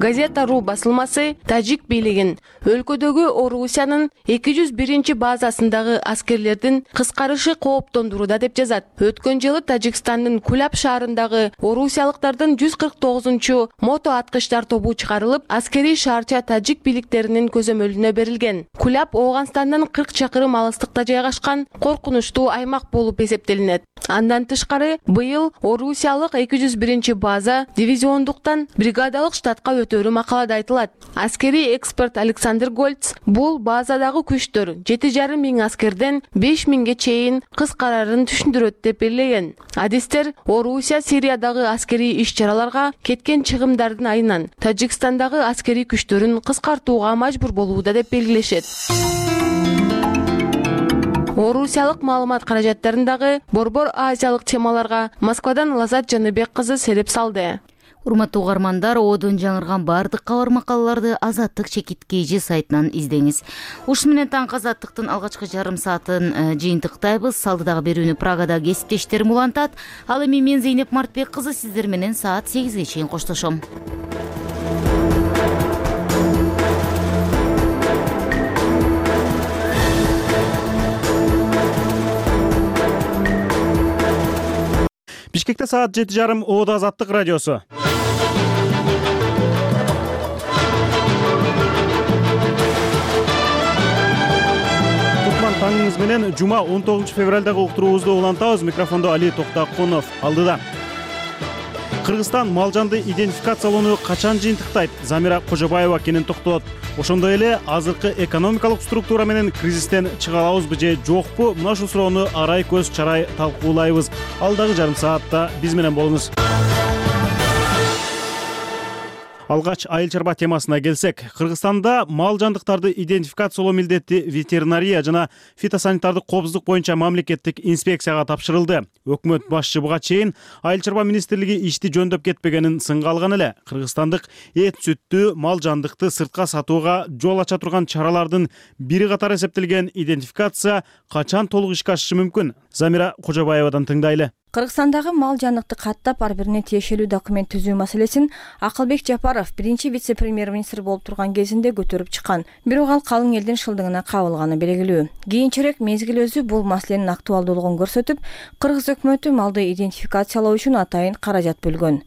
Газета.ру басылмасы Тажик бийлигин өлкөдөгү Орусиянын эки жүз биринчи базасындагы аскерлердин кыскарышы кооптондурууда деп жазат. Өткөн жылы Тажикстандын Кулап шаарындагы орусиялыктардын жүз кырк тогузунчу мото аткычтар тобу чыгарылып, аскерий шаарча тажик бийликтеринин көзөмөлүнө берилген. Кулап Ооганстандан кырк чакырым алыстыкта жайгашкан коркунучтуу аймак болуп эсептелинет. Андан тышкары, быйыл орусиялык эки жүз биринчи база дивизиондуктан бригадалык штатка өтүп өтөрү макалада айтылат. Аскерий эксперт Александр Гольц бул базадагы күчтөр жети жарым миң аскерден беш миңге чейин кыскарарын түшүндүрөт деп белгилеген. Адистер Орусия Сириядагы аскерий иш-чараларга кеткен чыгымдардын айынан Тажикстандагы аскерий күчтөрүн кыскартууга мажбур болууда деп белгилешет. Орусиялык маалымат каражаттарындагы борбор азиялык темаларга Москвадан Лазат Жаныбек кызы сереп салды. Урматтуу угармандар, одон жаңырган бардык кабар макалаларды Азаттык чекит kg сайтынан издеңиз. Ушун менен таңкы Азаттыктын алгачкы жарым саатын жыйынтыктайбыз. Салдыдагы берүүнү Прагада кесиптештерим улантат. Ал эми мен Зейнеп Мартбек кызы сиздер менен саат сегизге чейин коштошом. Бишкекте саат жети жарым Оодо Азаттык радиосу. Кутман таңыңыз менен жума он тогузунчу февралдагы уктуруубузду улантабыз. Микрофондо Али Токтакунов алдыда. Кыргызстан мал жанды идентификациялоону качан жыйынтыктайт? Замира Кожобаева кенен токтолот. Ошондой эле азыркы экономикалык структура менен кризистен чыга алабызбы же жокпу? Мына ушул суроону арай көз чарай талкуулайбыз. Алдагы жарым саатта биз менен болуңуз. Алгач айыл чарба темасына келсек, Кыргызстанда мал жандыктарды идентификациялоо милдети ветеринария жана фитосанитардык коопсуздук боюнча мамлекеттик инспекцияга тапшырылды. Өкмөт башчы буга чейин айыл чарба министрлиги ишти жөндөп кетпегенин сынга алган эле. Кыргызстандык эт сүттү мал жандыкты сыртка сатууга жол ача турган чаралардын бири катары эсептелген идентификация качан толук ишке ашышы мүмкүн? Замира Кожобаевадан тыңдайлы. Кыргызстандагы мал жандыкты каттап ар бирине тиешелүү документ түзүү маселесин Акылбек Жапаров биринчи вице-премьер-министр болуп турган кезинде көтөрүп чыккан. Бирок ал калың элдин шылдыгына кабылганы белгилүү. Кийинчерээк мезгил өзү бул маселенин актуалдуулугун көрсөтүп, Кыргыз өкмөтү малды идентификациялоо үчүн атайын каражат бөлгөн.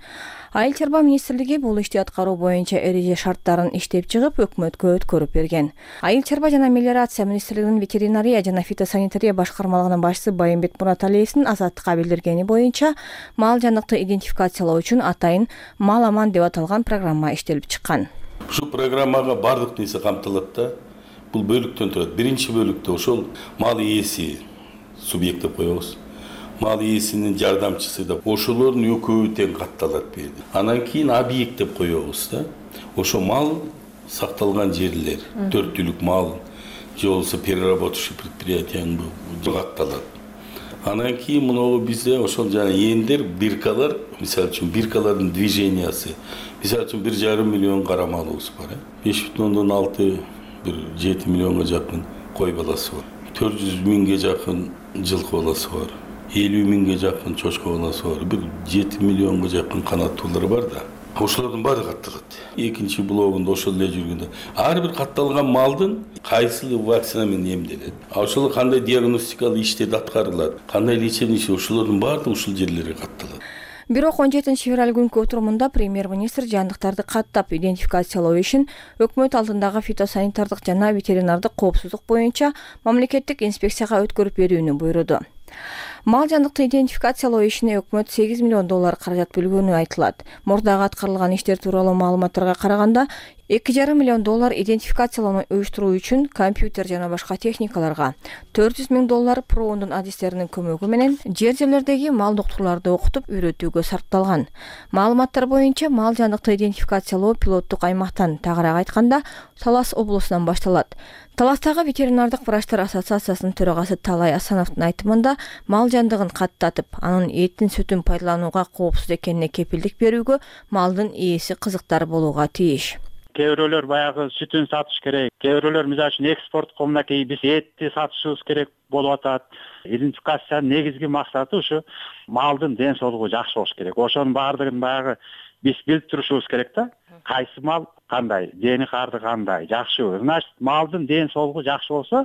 Айыл чарба министрлиги бул ишти аткаруу боюнча эреже шарттарын иштеп чыгып, өкмөткө өткөрүп берген. Айыл чарба жана мелиорация министрлигинин ветеринария жана фитосанитария башкармалыгынын башчысы Байымбет Мураталиевдин Азаттыкка билдиргени боюнча, мал жандыкты идентификациялоо үчүн атайын мал аман деп аталган программа иштелип чыккан. Ушул программага бардык нерсе камтылат да. Бул бөлүктөн турат. Биринчи бөлүктө ошол мал ээси субъект деп коебуз. Мал ээсинин жардамчысы да ошолордун экөөбү тең катталат берди. Анан кийин объект деп коебуз да. Ошо мал сакталган жерлер, төрт түлүк мал же болбосо переработчий предприятияны катталат. Анан кийин мыногу бизде ошол жана эндер биркалар, мисалы үчүн биркалардын движениясы. Мисалы үчүн бир жарым миллион кара малыбыз бар. беш бүтүн ондон алты бир жети миллионго жакын кой баласы бар. төрт жүз миңге жакын жылкы баласы бар. элүү миңге жакын чочко баласы бар. бир жети миллионго жакын канаттуулар бар да. Ошолордун баары катталат. Экинчи блогунда ошол эле жүргөндө ар бир катталган малдын кайсыл вакцина менен эмделет. А ошол кандай диагностикалык иштер аткарылат, кандай лечение иши, ошолордун баардыгы ушул жерлерге катталат. Бирок он жетинчи февраль күнкү отурумунда премьер-министр жандыктарды каттап идентификациялоо ишин өкмөт алдындагы фитосанитардык жана ветеринардык коопсуздук боюнча мамлекеттик инспекцияга өткөрүп берүүнү буйруду. Мал жандыкты идентификациялоо ишине өкмөт сегиз миллион доллар каражат бөлгөнү айтылат. Мурдагы аткарылган иштер тууралуу маалыматтарга караганда эки жарым миллион доллар идентификациялоону уюштуруу үчүн компьютер жана башка техникаларга, төрт жүз миң доллар проондун адистеринин көмөгү менен жер жерлердеги мал доктурларды окутуп үйрөтүүгө сарпталган. Маалыматтар боюнча мал жандыкты идентификациялоо пилоттук аймактан, тагыраак айтканда, Талас облусунан башталат. Таластагы ветеринардык врачтар ассоциациясынын төрагасы Талай Асановдун айтымында, мал жандыгын каттатып, анын этин сүтүн пайдаланууга коопсуз экенине кепилдик берүүгө малдын ээси кызыктар болууга тийиш. Кээ бирөөлөр баягы сүтүн сатыш керек, кээ бирөөлөр мисалы үчүн экспорттук мынакей биз этти сатышыбыз керек болуп атат. Идентификациянын негизги максаты ушу малдын ден соолугу жакшы болуш керек. Ошонун баардыгын баягы биз билип турушубуз керек да. Кайсы мал кандай, дени карды кандай, жакшыбы. Значит, малдын ден соолугу жакшы болсо,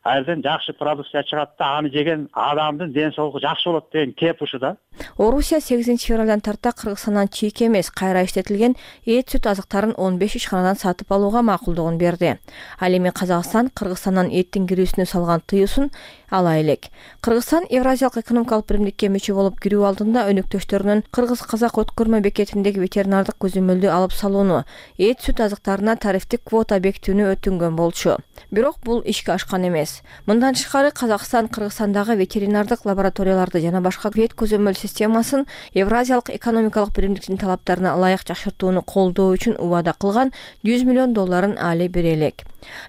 айрдан жакшы продукция чыгат да, аны жеген адамдын ден соолугу жакшы болот деген кеп ушу да. Орусия сегизинчи февралдан тарта Кыргызстандан чийик эмес, кайра иштетилген эт сүт азыктарын он беш ишканадан сатып алууга макулдугун берди. Ал эми Казакстан Кыргызстандан эттин кирүүсүнө салган тыюусун ала элек. Кыргызстан Евразиялык экономикалык биримдикке мүчө болуп кирүү алдында өнөктөштөрүнөн кыргыз-казак өткөрмө бекетиндеги ветеринардык көзөмөлдү алып салууну, эт сүт азыктарына тарифтик квота бекитүүнү өтүнгөн болчу. Бирок бул ишке ашкан эмес. Мындан тышкары Казакстан Кыргызстандагы ветеринардык лабораторияларды жана башка вет көзөмөл системасын Евразиялык экономикалык биримдиктин талаптарына ылайык жакшыртууну колдоо үчүн убада кылган жүз миллион долларын али бере элек.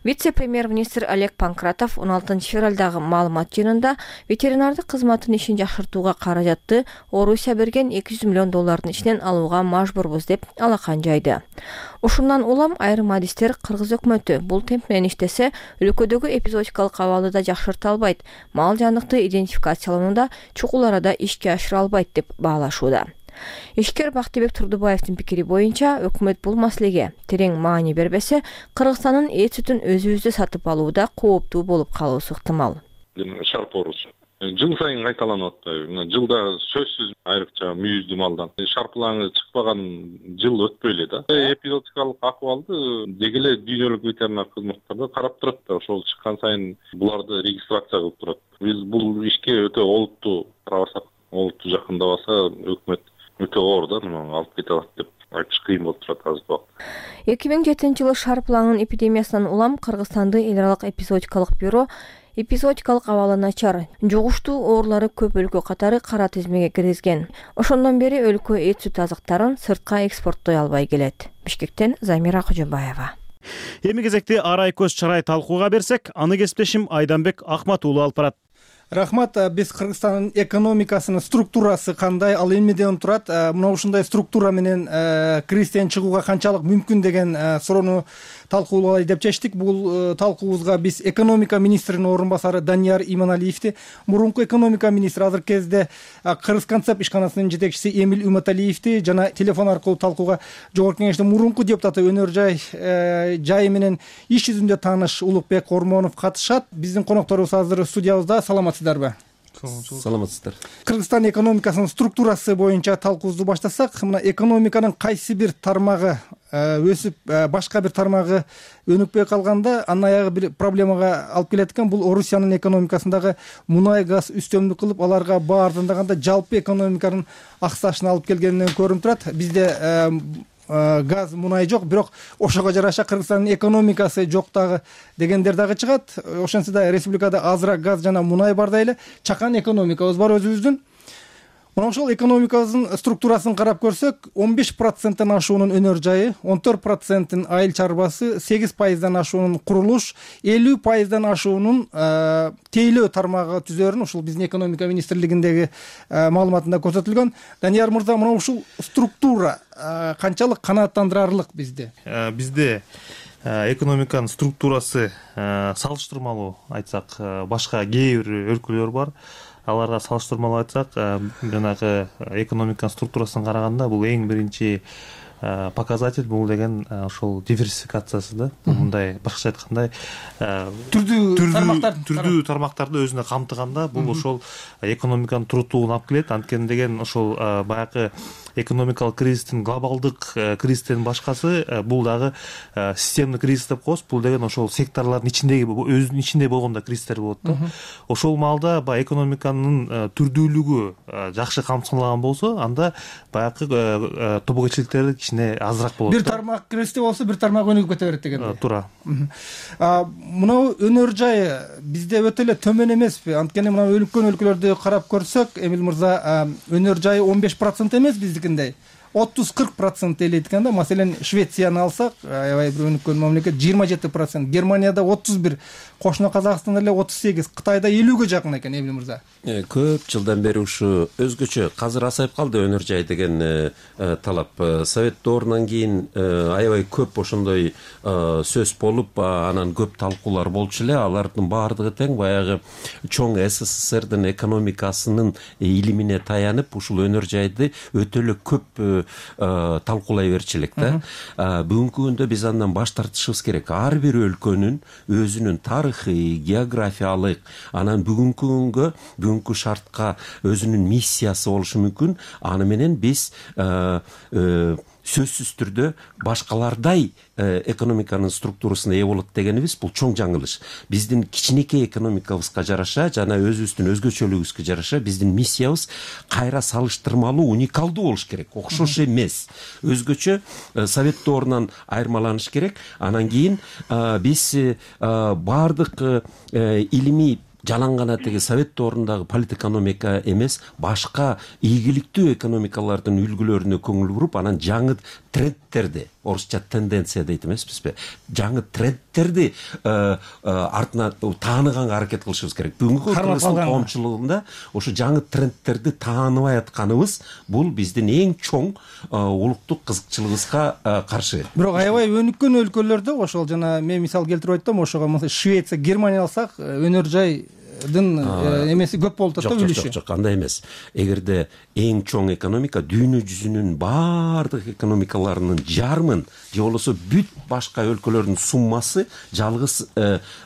Вице-премьер-министр Олег Панкратов он алтынчы февралдагы маалымат жыйынында ветеринардык кызматтын ишин жакшыртууга каражатты Орусия берген эки жүз миллион доллардын ичинен алууга мажбурбуз деп алакан жайды. Ушундан улам айрым адистер Кыргыз өкмөтү бул темп менен иштесе өлкөдөгү эпизодикалык абалды да жакшырта албайт, мал жандыкты идентификациялоонуда чукул арада ишке ашыра албайт деп баалашууда. Ишкер Бактыбек Турдубаевдин пикири боюнча, өкмөт бул маселеге терең маани бербесе, Кыргызстандын эт сүтүн өзүбүздө сатып алууда кооптуу болуп калуусу ыктымал. Шарп оорусу жыл сайын кайталанып атпайбы? Жылда сөзсүз айрыкча мүйүздүү малдан шарпылаңы чыкпаган жыл өтпөй эле да. Эпизодикалык акыбалды деги эле дүйнөлүк ветеринар кызматтарда карап турат да. Ошол чыккан сайын буларды регистрация кылып турат. Биз бул ишке өтө олуттуу карабасак, олуттуу жакындабаса өкмөт өтө оор да, алып кете алат деп айтыш кыйын болуп турат азыркы убакта. эки миң жетинчи жылы шарпылаңын эпидемиясынан улам Кыргызстанды эл аралык эпизодикалык бюро эпизодикалык абалы начар, жугуштуу оорулары көп өлкө катары кара тизмеге киргизген. Ошондон бери өлкө эт сүт азыктарын сыртка экспорттой албай келет. Бишкектен Замира Кожобаева. Эми кезекти арай көз чарай талкууга берсек, аны кесиптешим Айданбек Акматуулу алып барат. Рахмат. Биз Кыргызстандын экономикасынын структурасы кандай, ал эмнеден турат, мына ушундай структура менен кризистен чыгууга канчалык мүмкүн деген суроону талкуулай деп чечтик. Бул талкуубузга биз экономика министринин орун басары Данияр Иманалиевди, мурунку экономика министри азыркы кезде Кыргызконцепт ишканасынын жетекчиси Эмил Уматалиевди жана телефон аркылуу талкууга жогорку кеңештин мурунку депутаты өнөр жай жайы менен иш жүзүндө тааныш Улукбек Ормонов катышат. Биздин конокторубуз азыр студиябызда. Саламатсыздарбы? Саламатсыздар. Кыргызстан экономикасынын структурасы боюнча талкуубузду баштасак, мына экономиканын кайсы бир тармагы өсүп, башка бир тармагы өнүкпөй калганда, анын аягы бир проблемага алып келет экен. Бул Орусиянын экономикасындагы мунай газ үстөмдүк кылып, аларга баа арзандаганда жалпы экономиканын аксашына алып келгенинен көрүнүп турат. Бизде газ, мунай жок, бирок ошого жараша Кыргызстандын экономикасы жок дагы дегендер дагы чыгат. Ошентсе да республикада азыраак газ жана мунай бардай эле чакан экономикабыз бар өзүбүздүн. Мына ошол экономикабыздын структурасын карап көрсөк, он беш проценттен ашуунун өнөр жайы, он төрт проценттин айыл чарбасы, сегиз пайыздан ашуунун курулуш, элүү пайыздан ашуунун тейлөө тармагы түзөрүн ушул биздин экономика министрлигиндеги маалыматында көрсөтүлгөн. Данияр мырза, мына ушул структура канчалык канааттандырарлык бизде? Бизде экономиканын структурасы салыштырмалуу айтсак, башка кээ бир өлкөлөр бар. Аларга салыштырмалуу айтсак, жанагы экономиканын структурасын караганда бул эң биринчи показатель бул деген ошол диверсификациясы да. Мындай башкача айтканда түрдүү тармактар түрдүү тармактарды өзүнө камтыганда бул ошол экономиканын туруктуулугун алып келет. Анткени деген ошол баягы экономикалык кризистин глобалдык кризистен башкасы бул дагы системдик кризис деп коебуз. Бул деген ошол секторлордун ичиндеги өзүнүн ичинде болгондо кризистер болот да. Ошол маалда баягы экономиканын түрдүүлүгү жакшы камсызлаган болсо, анда баягы тобокелчиликтерди кичине азыраак болот. Бир тармак кризисте болсо, бир тармак өнүгүп кете берет дегендей. Туура. Мына өнөр жайы бизде өтө эле төмөн эмеспи? Анткени мына өлкөн өлкөлөрдү карап көрсөк, Эмил мырза, өнөр жайы он беш процент эмес биздикиндей. отуз кырк процент элейт экен да. Маселен, Швецияны алсак, аябай бир өнүккөн мамлекет, жыйырма жети процент, Германияда отуз бир, кошуна Казакстанда эле отуз сегиз, Кытайда элүүгө жакын экен, Эмил мырза. Көп жылдан бери ушу өзгөчө азыр асайып калды өнөр жай деген талап. Совет доорунан кийин аябай көп ошондой сөз болуп, анан көп талкуулар болчу эле. Алардын баардыгы тең баягы чоң СССРдин экономикасынын илимине таянып, ушул өнөр жайды өтө эле көп талкуулай берчү элек да. Бүгүнкү күндө биз андан баш тартышыбыз керек. Ар бир өлкөнүн өзүнүн тарыхый, географиялык, анан бүгүнкү күнгө, бүгүнкү шартка өзүнүн миссиясы болушу мүмкүн. Аны менен биз сөзсүз түрдө башкалардай экономиканын структурасына ээ болот дегенибиз бул чоң жаңылыш. Биздин кичинекей экономикабызга жараша жана өзүбүздүн өзгөчөлүгүбүзгө жараша биздин миссиябыз кайра салыштырмалуу, уникалдуу болуш керек, окшош эмес. Өзгөчө совет доорунан айырмаланыш керек. Анан кийин биз баардык илимий жалаң гана теги совет доорундагы политэкономика эмес, башка ийгиликтүү экономикалардын үлгүлөрүнө көңүл буруп, анан жаңы трендтерди, орусча тенденция дейт эмеспизби? Жаңы трендтерди артына тааныганга аракет кылышыбыз керек. Бүгүнкү Кыргызстан коомчулугунда ошо жаңы трендтерди тааныбай атканыбыз бул биздин эң чоң улуттук кызыкчылыгыбызга каршы. Бирок аябай өнүккөн өлкөлөрдө ошол жана мен мисал келтирип айттым, ошого Швеция, Германия алсак, өнөр жай дын эмеси көп болуп атат да, үлүшү. Жок, жок, андай эмес. Эгерде эң чоң экономика дүйнө жүзүнүн баардык экономикаларынын жарымын же болбосо бүт башка өлкөлөрдүн суммасы жалгыз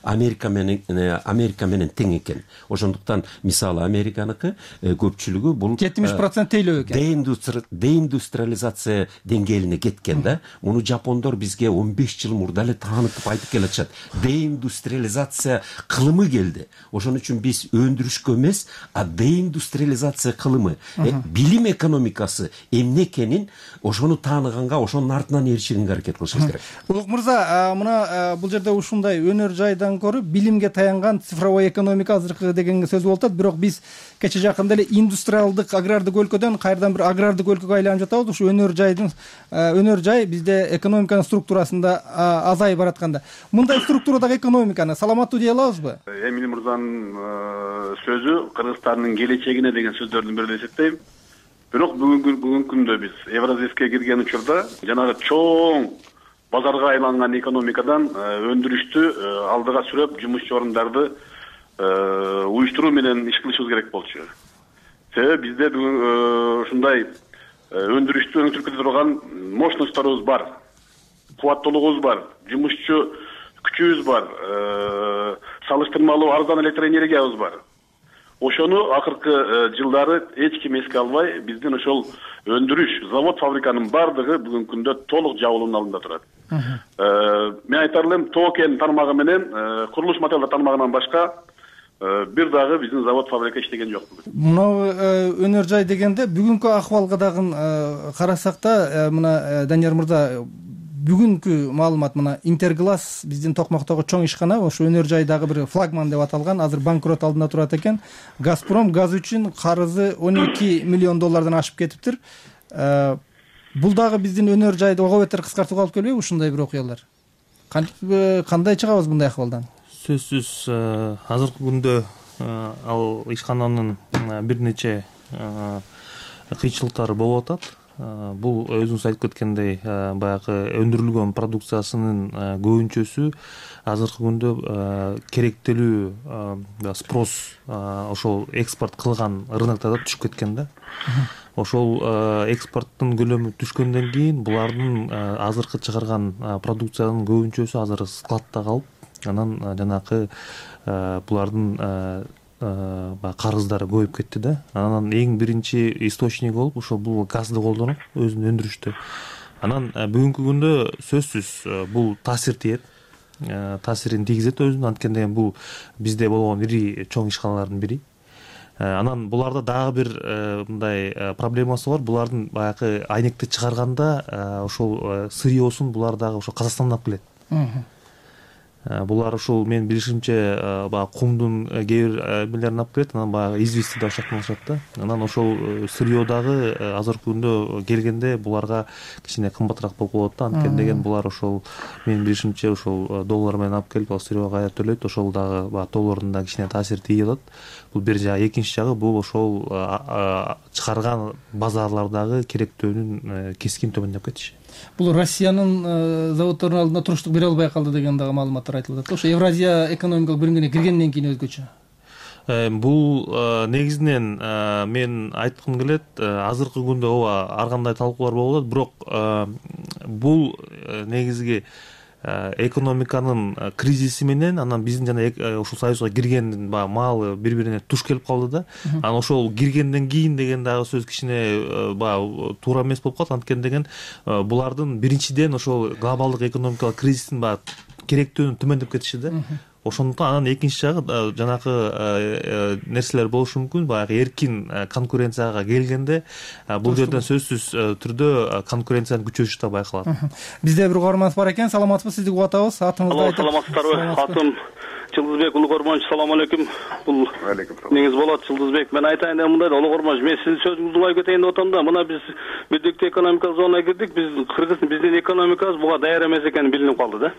Америка менен Америка менен тең экен. Ошондуктан мисалы Американыкы көпчүлүгү бул жетимиш процент тейлөө экен. Деиндустриализация деңгээлине кеткен да. Муну жапондор бизге он беш жыл мурда эле таанытып айтып келатышат. Деиндустриализация кылымы келди. Ошон үчүн биз өндүрүшкө эмес, а деиндустриализация кылымы, билим экономикасы эмне экенин ошону тааныганга, ошонун артынан эришүүгө аракет кылышыбыз керек. Улук мырза, мына бул жерде ушундай өнөр жайдан көрүп билимге таянган цифровой экономика азыркы деген сөз болуп атат. Бирок биз кече жакында эле индустриалдык агрардык өлкөдөн кайрадан бир агрардык өлкөгө айланып жатабыз. Ушу өнөр жайдын өнөр жай бизде экономиканын структурасында азайып баратканда, мындай структурадагы экономиканы саламаттуу дей алабызбы? Эмиль мырзанын сөзү Кыргызстандын келечегине деген сөздөрдүн бири деп эсептейм. Бирок бүгүнкү бүгүнкү күндө биз Евразийскке кирген учурда жанагы чоң базарга айланган экономикадан өндүрүштү алдыга сүрөп, жумушчу орундарды уюштуруу менен иш кылышыбыз керек болчу. Себеби бизде бүгүн ушундай өндүрүштү өңтүрүп кете турган мощностторубуз бар, кубаттуулугубуз бар, жумушчу күчүбүз бар, салыштырмалуу арзан электр энергиябыз бар. Ошону акыркы жылдары эч ким эске албай, биздин ошол өндүрүш, завод, фабриканын бардыгы бүгүнкү күндө толук жабылуунун алдында турат. Мен айтар элем, токен тармагы менен курулуш материалдар тармагынан башка бир дагы биздин завод, фабрика иштеген жок. Мына өнөр жай дегенде бүгүнкү акыбалга дагы карасак да, мына Данияр мырза, бүгүнкү маалымат мына Интерглаз биздин Токмактагы чоң ишкана, ошо өнөр жайдагы бир флагман деп аталган, азыр банкрот алдында турат экен. Газпром газ үчүн карызы он эки миллион доллардан ашып кетиптир. Бул дагы биздин өнөр жайды ого бетер кыскартууга алып келбейби ушундай бир окуялар? Кандай чыгабыз мындай акыбалдан? Сөзсүз азыркы күндө ал ишкананын бир нече кыйынчылыктары болуп атат. Бул өзүңүз айтып кеткендей, баягы өндүрүлгөн продукциясынын көбүнчөсү азыркы күндө керектелүү спрос ошол экспорт кылган рыноктарда түшүп кеткен да. Ошол экспорттун көлөмү түшкөндөн кийин булардын азыркы чыгарган продукциянын көбүнчөсү азыр складта калып, анан жанакы булардын карыздары көбөйүп кетти да. Анан эң биринчи источник болуп ошол бул газды колдонуп өзүн өндүрүштү. Анан бүгүнкү күндө сөзсүз бул таасир тиет, таасирин тийгизет өзүнө, анткени бул бизде болгон ири чоң ишканалардын бири. Анан буларда дагы бир мындай проблемасы бар. Булардын баягы айнекти чыгарганда ошол сырьёсун булар дагы ошол Казакстандан алып келет. Булар ушул мен билишимче баягы кумдун кээ бир эмелерин алып келет, анан баягы известиди ашактын алышат да. Анан ошол сырьё дагы азыркы күндө келгенде буларга кичине кымбатыраак болуп калат да. Анткени деген булар ошол мен билишимче ошол доллар менен алып келип ал сырьёга кайра төлөйт, ошол дагы баягы доллардын да кичине таасири тийип атат. Бул бир жагы, экинчи жагы бул ошол чыгарган базарлардагы керектөөнүн кескин төмөндөп кетиши. Бул Россиянын заводдорунун алдында туруштук бере албай калды деген дагы маалыматтар айтылып атат. Ошо Евразия экономикалык бөлүнгөнү киргенден кийин өзгөчө. бул негизинен мен айткым келет, азыркы күндө ооба ар кандай талкуулар болуп атат, бирок бул негизги экономиканын кризиси менен анан биздин жана ушул союзга киргендин баягы маалы бири бирине туш келип калды да. Анан ошол киргенден кийин деген дагы сөз кичине баягы туура эмес болуп калат, анткени деген булардын биринчиден ошол глобалдык экономикалык кризистин баягы керектөөнү төмөндөп кетиши да. Ошондуктан анан экинчи жагы жанакы нерселер болушу мүмкүн. Баягы эркин конкуренцияга келгенде бул жерден сөзсүз түрдө конкуренциянын күчөшү да байкалат. Бизде бир угарманыбыз бар экен. Саламатсызбы, сизди угуп атабыз. Атыңызды айтып. Саламатсыздарбы? Атым Жылдызбек, улуу көрмөнчү. Салам алейкум. Бул эмеңиз болот, Жылдызбек. Мен айтайын деп мындай, улуу көрмөнчү, мен сиздин сөзүңүздү улай кетейин деп атам да. Мына биз бирдиктүү экономикалык зонага кирдик. Биз Кыргыз биздин экономикабыз буга даяр эмес экени билинип калды да.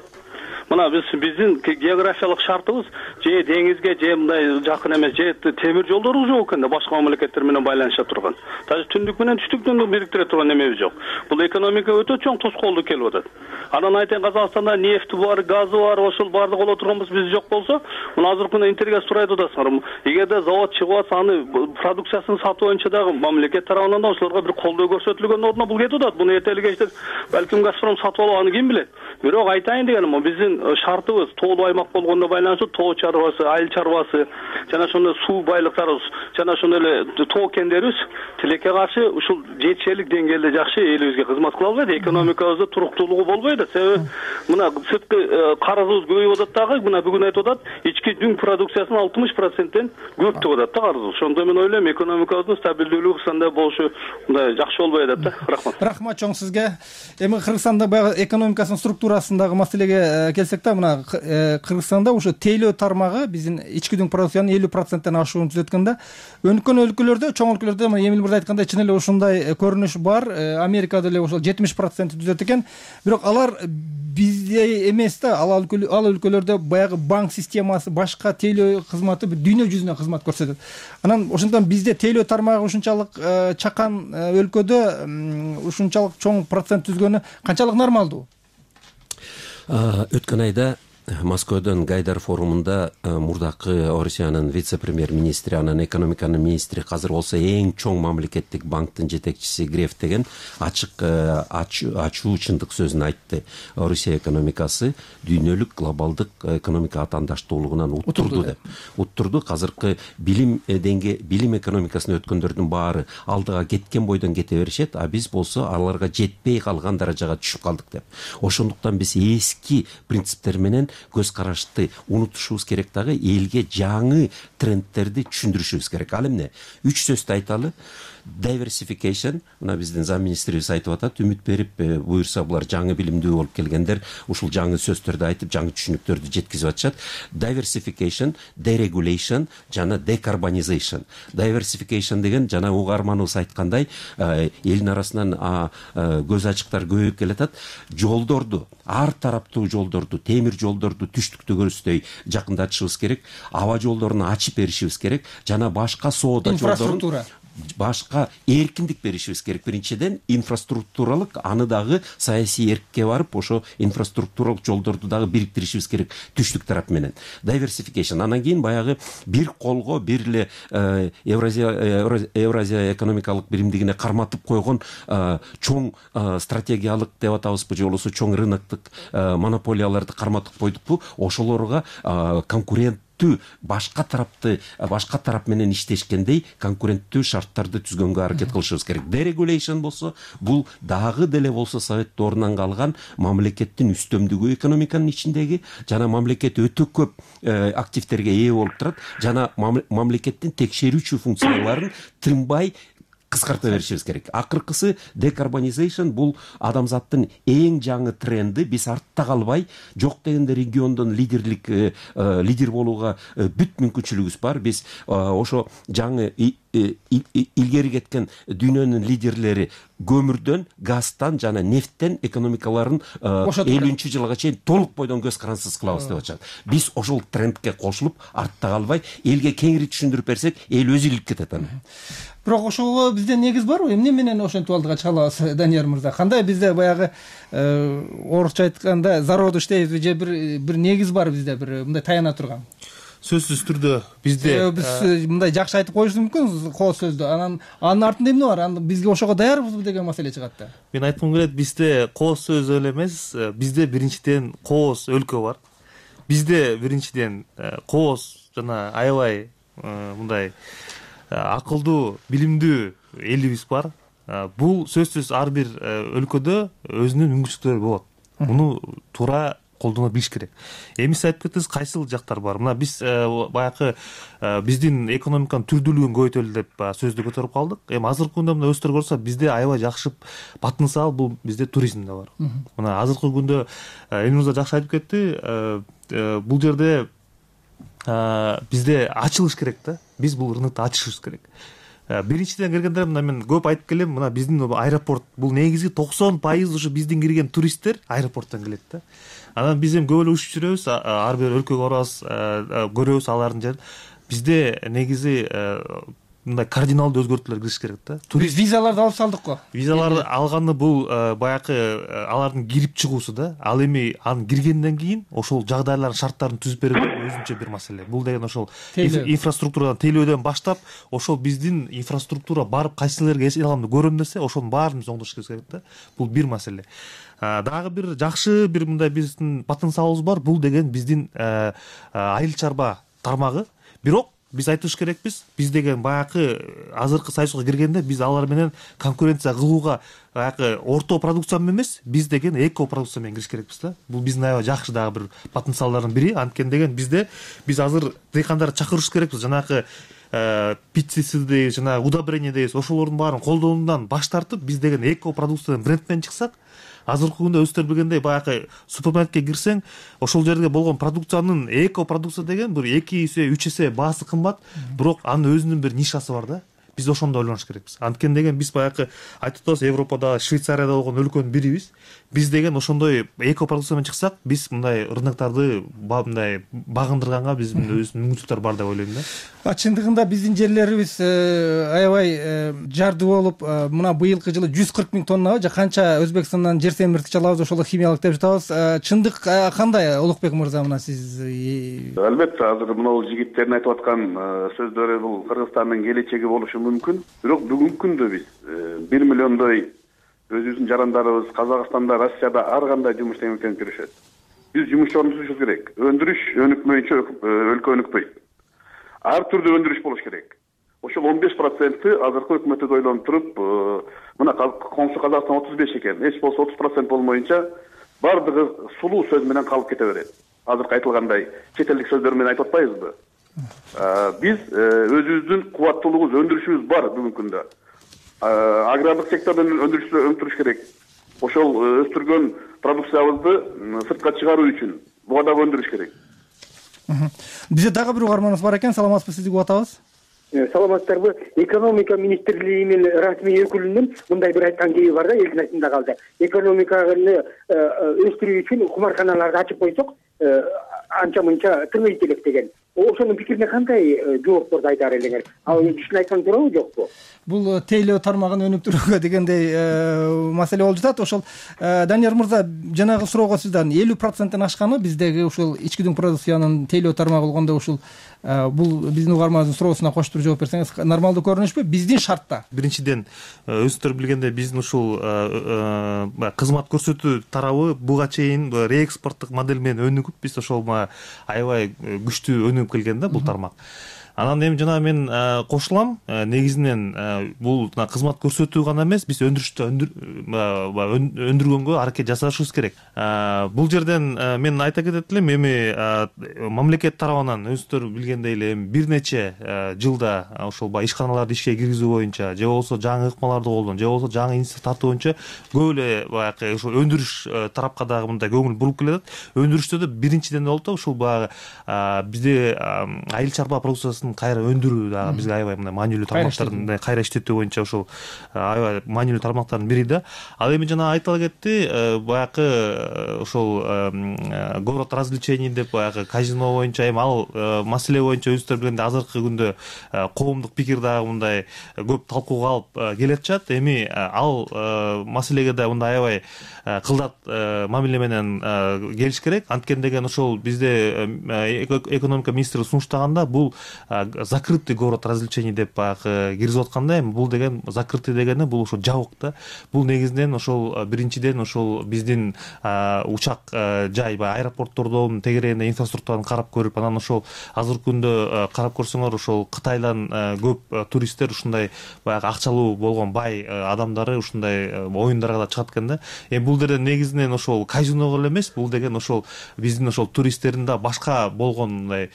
Мына биз биздин географиялык шартыбыз же деңизге, же мындай жакын эмес, же темир жолдорубуз жок экен да, башка мамлекеттер менен байланыша турган. Даже түндүк менен түштүктү бириктире турган немебиз жок. Бул экономика өтө чоң тоскоолдук келип атат. Анан айтайын, Казакстанда нефти бар, газы бар, ошол баардык боло турганбыз, биз жок болсо, мына азыркы күндө интервью сурай атасыңар. Эгерде завод чыгып атса, аны продукциясын сатуу боюнча дагы мамлекет тарабынан да ошолорго бир колдоо көрсөтүлгөн ордуна бул кетип атат. Буну эртели кечте балким Газпром сатып алып, аны ким билет. Бирок айтайын дегеним, биздин шартыбыз тоолуу аймак болгондо байланыштуу тоо чарбасы, айыл чарбасы, жана ошондой суу байлыктарыбыз, жана ошондой эле тоо кендерибиз тилекке каршы ушул жетишерлик деңгээлде жакшы элибизге кызмат кыла албайт, экономикабызда туруктуулугу болбойт. Себеби мына сырткы карызыбыз көбөйүп атат дагы, мына бүгүн айтып атат, ички дүң продукциясынын алтымыш проценттен көп деп атат да карызыбыз. Ошондо мен ойлойм, экономикабыздын стабилдүүлүгү Кыргызстанда болушу мындай жакшы болбой атат да. Рахмат. Рахмат чоң сизге. Эми Кыргызстанда баягы экономикасынын структурасындагы маселеге келсек да, мына Кыргызстанда ушу тейлөө тармагы биздин ички дүң продукциянын элүү проценттен ашуун түзөткөндө, өнүккөн өлкөлөрдө, чоң өлкөлөрдө мына Эмил мырза айткандай чын эле ушундай көрүнүш бар. Америкада эле ошол жетимиш процент түзөт экен. Бирок алар бизде эмес да, ал өлкөлөрдө баягы банк системасы, башка тейлөө кызматы дүйнө жүзүнө кызмат көрсөтөт. Анан ошондон бизде тейлөө тармагы ушунчалык чакан өлкөдө ушунчалык чоң процент түзгөнү канчалык нормалдуу? Өткөн айда Москвадон Гайдар форумунда мурдакы Орусиянын вице-премьер-министри, анан экономиканын министри, азыр болсо эң чоң мамлекеттик банктын жетекчиси Греф деген ачык ачуу чындык сөзүн айтты. Орусия экономикасы дүйнөлүк глобалдык экономика атаандаштуулугунан уттурду деп. Уттурду. Азыркы билим деңге билим экономикасына өткөндөрдүн баары алдыга кеткен бойдон кете беришет, а биз болсо аларга жетпей калган даражага түшүп калдык деп. Ошондуктан биз эски принциптер менен көз карашты унутушубуз керек, дагы элге жаңы трендтерди түшүндүрүшүбүз керек. Ал эмне? Үч сөздү айталы. Diversification, мына биздин зам министрибиз айтып атат, үмүт берип, буюрса булар жаңы билимдүү болуп келгендер ушул жаңы сөздөрдү айтып, жаңы түшүнүктөрдү жеткизип атышат. Diversification, deregulation жана decarbonization. Diversification деген жана угарманыбыз айткандай, элдин арасынан көз ачыктар көбөйүп келатат. Жолдорду, ар тараптуу жолдорду, темир жолдорду түштүктөгүбүздөй жакындатышыбыз керек, аба жолдорун ачып беришибиз керек, жана башка соода жолдорун башка эркиндик беришибиз керек. Биринчиден инфраструктуралык, аны дагы саясий эркке барып, ошо инфраструктуралык жолдорду дагы бириктиришибиз керек түштүк тарап менен. Diversification. Анан кийин баягы бир колго, бир эле Евразия Евразия экономикалык биримдигине карматып койгон чоң стратегиялык деп атабызбы, же болбосо чоң рыноктук монополияларды карматып койдукпу, ошолорго конкурент башка тарапты башка тарап менен иштешкендей конкуренттүү шарттарды түзгөнгө аракет кылышыбыз керек. Deregulation болсо, бул дагы деле болсо совет доорунан калган мамлекеттин үстөмдүгү экономиканын ичиндеги, жана мамлекет өтө көп активтерге ээ болуп турат, жана мамлекеттин текшерүүчү функцияларын тынбай кыскарта беришибиз керек. Акыркысы decarbonization, бул адамзаттын эң жаңы тренди. Биз артта калбай, жок дегенде региондон лидерлик лидер болууга бүт мүмкүнчүлүгүбүз бар. Биз ошо жаңы илгери кеткен дүйнөнүн лидерлери көмүрдөн, газдан жана нефттен экономикаларын элүүнчү жылга чейин толук бойдон көз карансыз кылабыз деп атышат. Биз ошол трендке кошулуп, артта калбай, элге кеңири түшүндүрүп берсек, эл өзү илип кетет аны. Бирок ошого бизде негиз барбы? Эмне менен ошентип алдыга чыга алабыз, Данияр мырза? Кандай бизде баягы орусча айтканда зародыш дейбизби, же бир бир негиз бар бизде, бир мындай таяна турган? сөзсүз түрдө бизде биз мындай жакшы айтып коюшубуз мүмкүн кооз сөздү, анан анын артында эмне бар, аны бизге ошого даярбызбы деген маселе чыгат да. Мен айткым келет, бизде кооз сөз эле эмес, бизде биринчиден кооз өлкө бар. Бизде биринчиден кооз жана аябай мындай акылдуу, билимдүү элибиз бар. Бул сөзсүз ар бир өлкөдө өзүнүн мүмкүнчүлүктөрү болот. Муну туура колдоно билиш керек. Эми сиз айтып кеттиңиз, кайсыл жактар бар? Мына биз баягы биздин экономиканын түрдүүлүгүн көбөйтөлү деп сөздү көтөрүп калдык. Эми азыркы күндө мына өстөрү көрсө, бизде аябай жакшы потенциал бул бизде туризмде бар. Мына азыркы күндө Элнурза жакшы айтып кетти, бул жерде бизде ачылыш керек да. Биз бул рынокто ачышыбыз керек. Биринчиден киргенде мына мен көп айтып келем, мына биздин аэропорт бул негизги токсон пайыз ушу биздин кирген туристтер аэропорттон келет да. Анан биз эми көп эле учуп жүрөбүз, ар бир өлкөгө барабыз, көрөбүз алардын жерин. Бизде негизи мындай кардиналдуу өзгөртүүлөр кириш керек да. Турист визаларды алып салдык го. Визаларды алганы бул баягы алардын кирип чыгуусу да. Ал эми анын киргенден кийин ошол жагдайлардын шарттарын түзүп берүү өзүнчө бир маселе. Бул деген ошол инфраструктурадан тейлөөдөн баштап, ошол биздин инфраструктура барып кайсы жерлерге эсен аламды көрөм десе, ошонун баарын биз оңдошубуз керек да. Бул бир маселе. Дагы бир жакшы бир мындай биздин потенциалыбыз бар. Бул деген биздин айыл чарба тармагы. Бирок биз айтыш керекпиз, биз деген баягы азыркы союзга киргенде биз алар менен конкуренция кылууга баягы орто продукция менен эмес, биз деген эко продукция менен кириш керекпиз да. Бул биздин аябай жакшы дагы бир потенциалдардын бири. Анткени деген бизде биз азыр дыйкандарды чакырыш керекпиз. Жанагы пестициди, жана удобрение дейбиз, ошолордун баарын колдонуудан баш тартып, биз деген эко продукциядан бренд менен чыксак, азыркы күндө өздөрү билгендей баягы супермаркетке кирсең, ошол жерге болгон продукциянын эко продукция деген бир эки эсе, үч эсе баасы кымбат, бирок анын өзүнүн бир нишасы бар да. Биз ошондо ойлонуш керекпиз. Анткени деген биз баягы айтып атабыз, Европада, Швейцарияда болгон өлкөнүн бирибиз. Биз деген ошондой эко продукция менен чыксак, биз мындай рыноктарды мындай багындырганга биздин өзүнүн мүмкүнчүлүктөр бар деп ойлойм да. Чындыгында биздин жерлерибиз аябай жарды болуп, мына быйылкы жылы жүз кырк миң тоннабы же канча Өзбекстандан жер семирткич алабыз, ошол химиялык деп жатабыз. Чындык кандай, Улукбек мырза, мына сиз? Албетте, азыр мына жигиттердин айтып аткан сөздөрү бул Кыргызстандын келечеги болушу мүмкүн. Бирок бүгүнкү күндө биз бир миллиондой өзүбүздүн жарандарыбыз Казакстанда, Россияда ар кандай жумуш менен күрөшөт. Биз жумушчу орнотушубуз керек. Өндүрүш өнүкмөйүнчө өлкө өнүкпөйт. Ар түрдүү өндүрүш болуш керек. Ошол он беш проценти азыркы өкмөттү ойлонуп туруп, мына Коңшу Казакстан отуз беш экен, эч болсо отуз процент болмоюнча бардыгы сулуу сөз менен калып кете берет. Азыркы айтылгандай чет элдик сөздөр менен айтып атпайбызбы? Биз өзүбүздүн кубаттуулугубуз, өндүрүшүбүз бар бүгүнкү күндө. Агрардык сектордон өндүрүш керек. Ошол өстүргөн продукциябызды сыртка чыгаруу үчүн буга дагы өндүрүш керек. Бизде дагы бир угарманыбыз бар экен. Саламатсызбы, сизди угуп атабыз. Саламатсыздарбы? Экономика министрлиги менен расмий өкүлүнүн мындай бир айткан кеби бар да, элдин ачында калды. Экономиканы өстүрүү үчүн кумарканаларды ачып койсок, анча мынча тыңыйт элек деген. Ошонун пикирине кандай жоопторду айтаар элеңер? Ал ишин айткан туурабы, жокпу? Бул тейлөө тармагын өнүктүрүүгө дегендей маселе болуп жатат. Ошол Данияр мырза, жанагы суроого сизден элүү проценттен ашканы биздеги ушул ички продукциянын тейлөө тармагы болгондо ушул бул биздин угарманыбыздын суроосуна коштуруп жооп берсеңиз нормалдуу көрүнүшпү биздин шартта? Биринчиден, өзүңүздөр билгендей биздин ушул кызмат көрсөтүү тарабы буга чейин реэкспорттук модель менен өнүгүп, биз ошол аябай күчтүү өнүгүп келген да бул тармак. Анан эми жана мен кошулам, негизинен бул кызмат көрсөтүү гана эмес, биз өндүрүштө өндүргөнгө аракет жасашыбыз керек. Бул жерден мен айта кетет элем, эми мамлекет тарабынан өзүңүздөр билгендей эле бир нече жылда ошол баягы ишканаларды ишке киргизүү боюнча, же болбосо жаңы ыкмаларды колдонуу, же болбосо жаңы инвестиция тартуу боюнча көп эле баягы ошол өндүрүш тарапка дагы мындай көңүл буруп келет. Өндүрүштө да биринчиден болуп ушул баягы бизде айыл чарба продукциясы продукциясын кайра өндүрүү дагы бизге аябай мындай маанилүү тармактардын кайра иштетүү боюнча ошол аябай маанилүү тармактардын бири да. Ал эми жана айтыла кетти, баягы ошол город развлечений деп баягы казино боюнча эми ал маселе боюнча өзүңүздөр билгендей азыркы күндө коомдук пикир дагы мындай көп талкууга алып келе жатышат. Эми ал маселеге да мындай аябай кылдат мамиле менен келиш керек. Анткени деген ошол бизде экономика министри сунуштаганда бул закрытый город развлечений деп баягы киргизип атканда, эми бул деген закрытый дегени бул ошо жабык да. Бул негизинен ошол биринчиден ошол биздин учак жай баягы аэропорттордун тегерегинде инфраструктураны карап көрүп, анан ошол азыркы күндө карап көрсөңөр ошол Кытайдан көп туристтер ушундай баягы акчалуу болгон бай адамдары ушундай оюндарга да чыгат экен да. Эми бул жерде негизинен ошол казиного эле эмес, бул деген ошол биздин ошол туристтердин да башка болгон мындай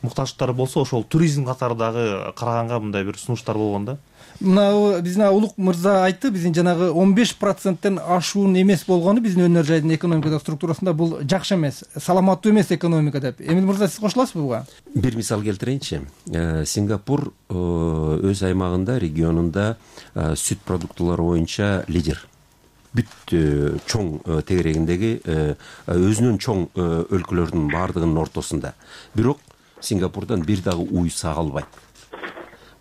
муктаждыктары болсо ошол туризм катары дагы караганга мындай бир сунуштар болгон да. Мына биздин Улук мырза айтты, биздин жанагы он беш проценттен ашуун эмес болгону биздин өнөр жайдын экономикадагы структурасында бул жакшы эмес, саламаттуу эмес экономика деп. Эмил мырза, сиз кошуласызбы буга? Бир мисал келтирейинчи. Сингапур өз аймагында, регионунда сүт продуктулары боюнча лидер. Бүт чоң тегерегиндеги өзүнүн чоң өлкөлөрдүн баардыгынын ортосунда. Бирок Сингапурдан бир дагы уй сагалбайт.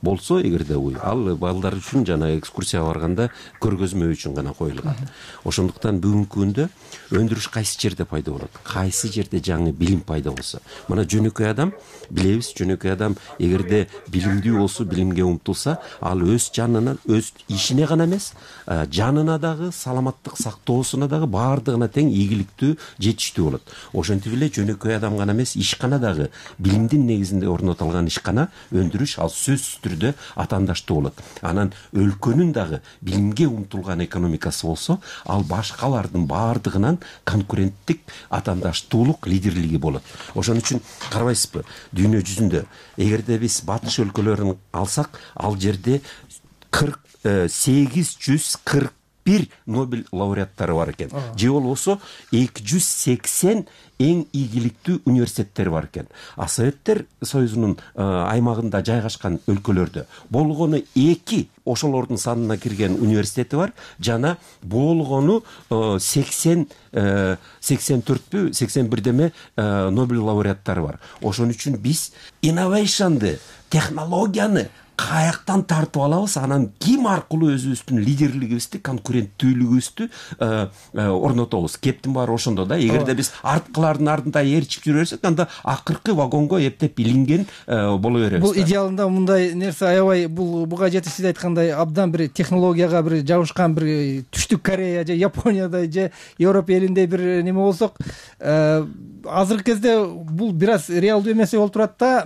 Болсо эгерде уй, ал балдар үчүн жана экскурсияга барганда көргөзмө үчүн гана коюлган. Ошондуктан бүгүнкү күндө өндүрүш кайсы жерде пайда болот, кайсы жерде жаңы билим пайда болсо, мына жөнөкөй адам билебиз, жөнөкөй адам эгерде билимдүү болсо, билимге умтулса, ал өз жанына, өз ишине гана эмес, жанына дагы, саламаттык сактоосуна дагы баардыгына тең ийгиликтүү, жетиштүү болот. Ошентип эле жөнөкөй адам гана эмес, ишкана дагы билимдин негизинде орнотулган ишкана, өндүрүш ал сөзсүз түрдө атаандаштуу болот. Анан өлкөнүн дагы билимге умтулган экономикасы болсо, ал башкалардын баардыгынан конкуренттик атаандаштуулук, лидерлиги болот. Ошон үчүн карабайсызбы, дүйнө жүзүндө эгерде биз батыш өлкөлөрүн алсак, ал жерде кырк сегиз жүз кырк бир Нобель лауреаттары бар экен. Же болбосо эки жүз сексен эң ийгиликтүү университеттер бар экен. А Советтер Союзунун аймагында жайгашкан өлкөлөрдө болгону эки ошолордун санына кирген университети бар, жана болгону сексен сексен төртпү, сексен бир деме Нобель лауреаттары бар. Ошон үчүн биз инновейшнды, технологияны каяктан тартып алабыз, анан ким аркылуу өзүбүздүн лидерлигибизди, конкуренттүүлүгүбүздү орнотобуз. Кептин баары ошондо да. Эгерде биз арткылардын артында ээрчип жүрө берсек, анда акыркы вагонго эптеп илинген боло беребиз. Бул идеалында мындай нерсе аябай, бул буга жетиш сиз айткандай абдан бир технологияга бир жабышкан бир Түштүк Корея же Япониядай же Европа элинде бир неме болсок, азыркы кезде бул бир аз реалдуу эмес болуп турат да.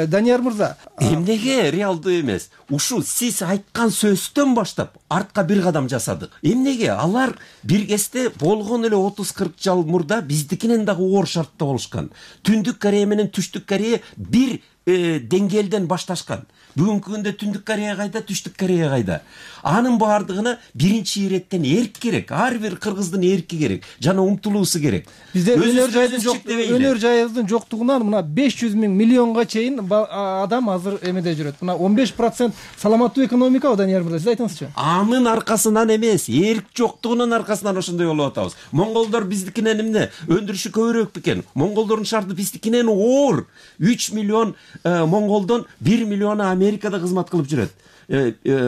Данияр мырза, эмнеге реалдуу эмес? Ушу сиз айткан сөздөн баштап артка бир кадам жасадык. Эмнеге? Алар бир кезде болгон эле отуз кырк жыл мурда биздикинен дагы оор шартта болушкан. Түндүк Корея менен Түштүк Корея бир деңгээлден башташкан. Бүгүнкү күндө Түндүк Корея кайда, Түштүк Корея кайда? Анын баардыгына биринчи иреттен эрк керек. Ар бир кыргыздын эрки керек, жана умтулуусу керек. Бизде өнөр жайдын жок, өнөр жайыбыздын жоктугунан мына беш жүз миң миллионго чейин адам азыр эмеде жүрөт. Мына он беш процент саламаттуу экономика, Данияр мырза, сиз айтыңызчы. Анын аркасынан эмес, эрк жоктугунун аркасынан ошондой болуп атабыз. Монголдор биздикинен эмне? Өндүрүшү көбүрөөк бекен. Монголдордун шарты биздикинен оор. үч миллион монголдон бир миллиону Америкада кызмат кылып жүрөт.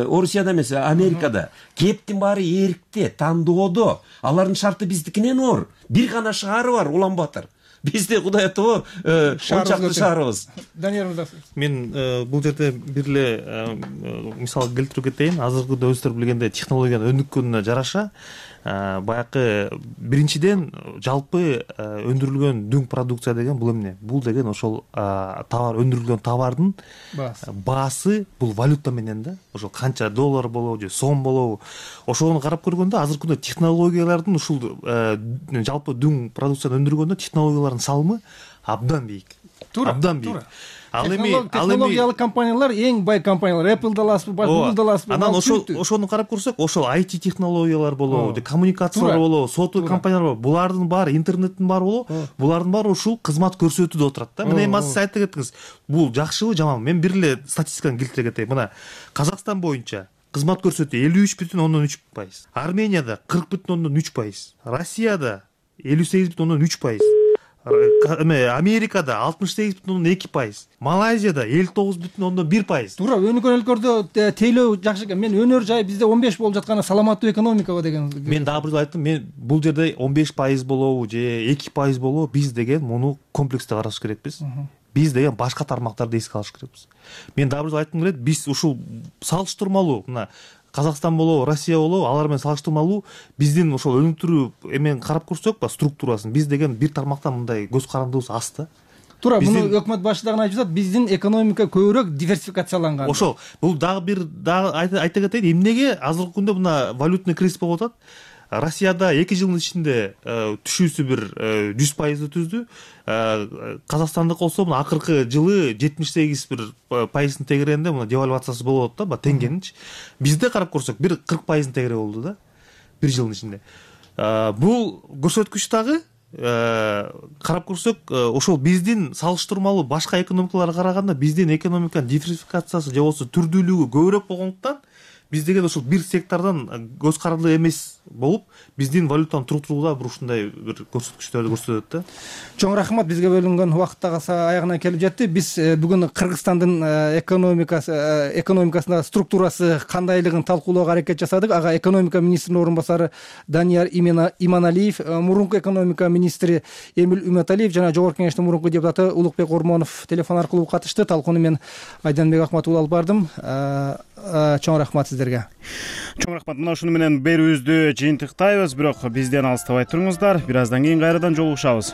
Орусияда эмес, Америкада. Кептин баары эркте, тандоодо. Алардын шарты биздикинен оор. Бир гана шаары бар, Улан-Батыр. Бизде Кудай атабы он чакты шаарыбыз. Данияр мырза, мен бул жерде бир эле мисал келтирип кетейин. Азыркы өзүңүздөр билгендей технологиянын өнүккөнүнө жараша баягы биринчиден жалпы өндүрүлгөн дүң продукция деген бул эмне? Бул деген ошол товар, өндүрүлгөн товардын баасы, бул валюта менен да, ошол канча доллар болобу же сом болобу, ошону карап көргөндө азыркы күндө технологиялардын ушул жалпы дүң продукцияны өндүргөндө технологиялардын салымы абдан бийик. Туура, абдан бийик. Ал эми технологиялык компаниялар эң бай компаниялар, Apple да аласызбы, Google да аласызбы. Анан ошол ошону карап көрсөк, ошол ай ти технологиялар болобу, коммуникациялар болобу, софтвер компаниялар болобу, булардын баары, интернеттин баары болобу, булардын баары ушул кызмат көрсөтүүдө отурат да. Мына эми сиз айтып кеттиңиз, бул жакшыбы, жаманбы? Мен бир эле статистиканы келтире кетейин. Мына Казакстан боюнча кызмат көрсөтүү элүү үч бүтүн ондон үч пайыз, Арменияда кырк бүтүн ондон үч пайыз, Россияда элүү сегиз бүтүн ондон үч пайыз, Америкада алтымыш сегиз бүтүн ондон эки пайыз, Малайзияда элүү тогуз бүтүн ондон бир пайыз. Туура, өнүккөн өлкөлөрдө тейлөө жакшы экен. Мен өнөр жай бизде он беш болуп жатканы саламаттуу экономикабы деген. Мен дагы бир айттым, мен бул жерде он беш пайыз болобу же эки пайыз болобу, биз деген муну комплекстүү караш керекпиз. Биз деген башка тармактарды эске алыш керекпиз. Мен дагы бир айткым келет, биз ушул салыштырмалуу мына Казакстан болобу, Россия болобу, алар менен салыштырмалуу биздин ошол өнүктүрүү эмен карап көрсөк, ба структурасын биз деген бир тармактан мындай көз карандыбыз аз да. Туура, муну өкмөт башы дагы айтып жатат, биздин экономика көбүрөөк диверсификацияланган. Ошол, бул дагы бир дагы айта кетейин, эмнеге азыркы күндө мына валютный кризис болуп атат? Россияда эки жылдын ичинде түшүүсү бир жүз пайызды түздү. Казакстандык болсо мына акыркы жылы жетимиш сегиз бир пайыздын тегерегинде мына девальвациясы болуп атат да, теңгенинчи. Бизде карап көрсөк бир кырк пайыздын тегереги болду да, бир жылдын ичинде. Бул көрсөткүч дагы карап көрсөк, ошол биздин салыштырмалуу башка экономикаларга караганда биздин экономиканын диверсификациясы же болбосо түрдүүлүгү көбүрөөк болгондуктан биз деген ошол бир сектордон көз карандуу эмес болуп, биздин валютаны туруктурууда бир ушундай бир көрсөткүчтөрдү көрсөтөт да. Чоң рахмат, бизге бөлүнгөн убакыт дагы аягына келип жетти. Биз бүгүн Кыргызстандын экономикасы экономикасында структурасы кандайлыгын талкуулоого аракет жасадык. Ага экономика министринин орун басары Данияр Иманалиев, мурунку экономика министри Эмил Үмөталиев жана Жогорку Кеңештин мурунку депутаты Улукбек Ормонов телефон аркылуу катышты. Талкууну мен Айданбек Акматов алып бардым. Чоң рахмат сиздерге. Чоң рахмат. Мына ушуну менен берүүбүздү жыйынтыктайбыз, бирок бизден алыстабай туруңуздар. Бир аздан кийин кайрадан жолугушабыз.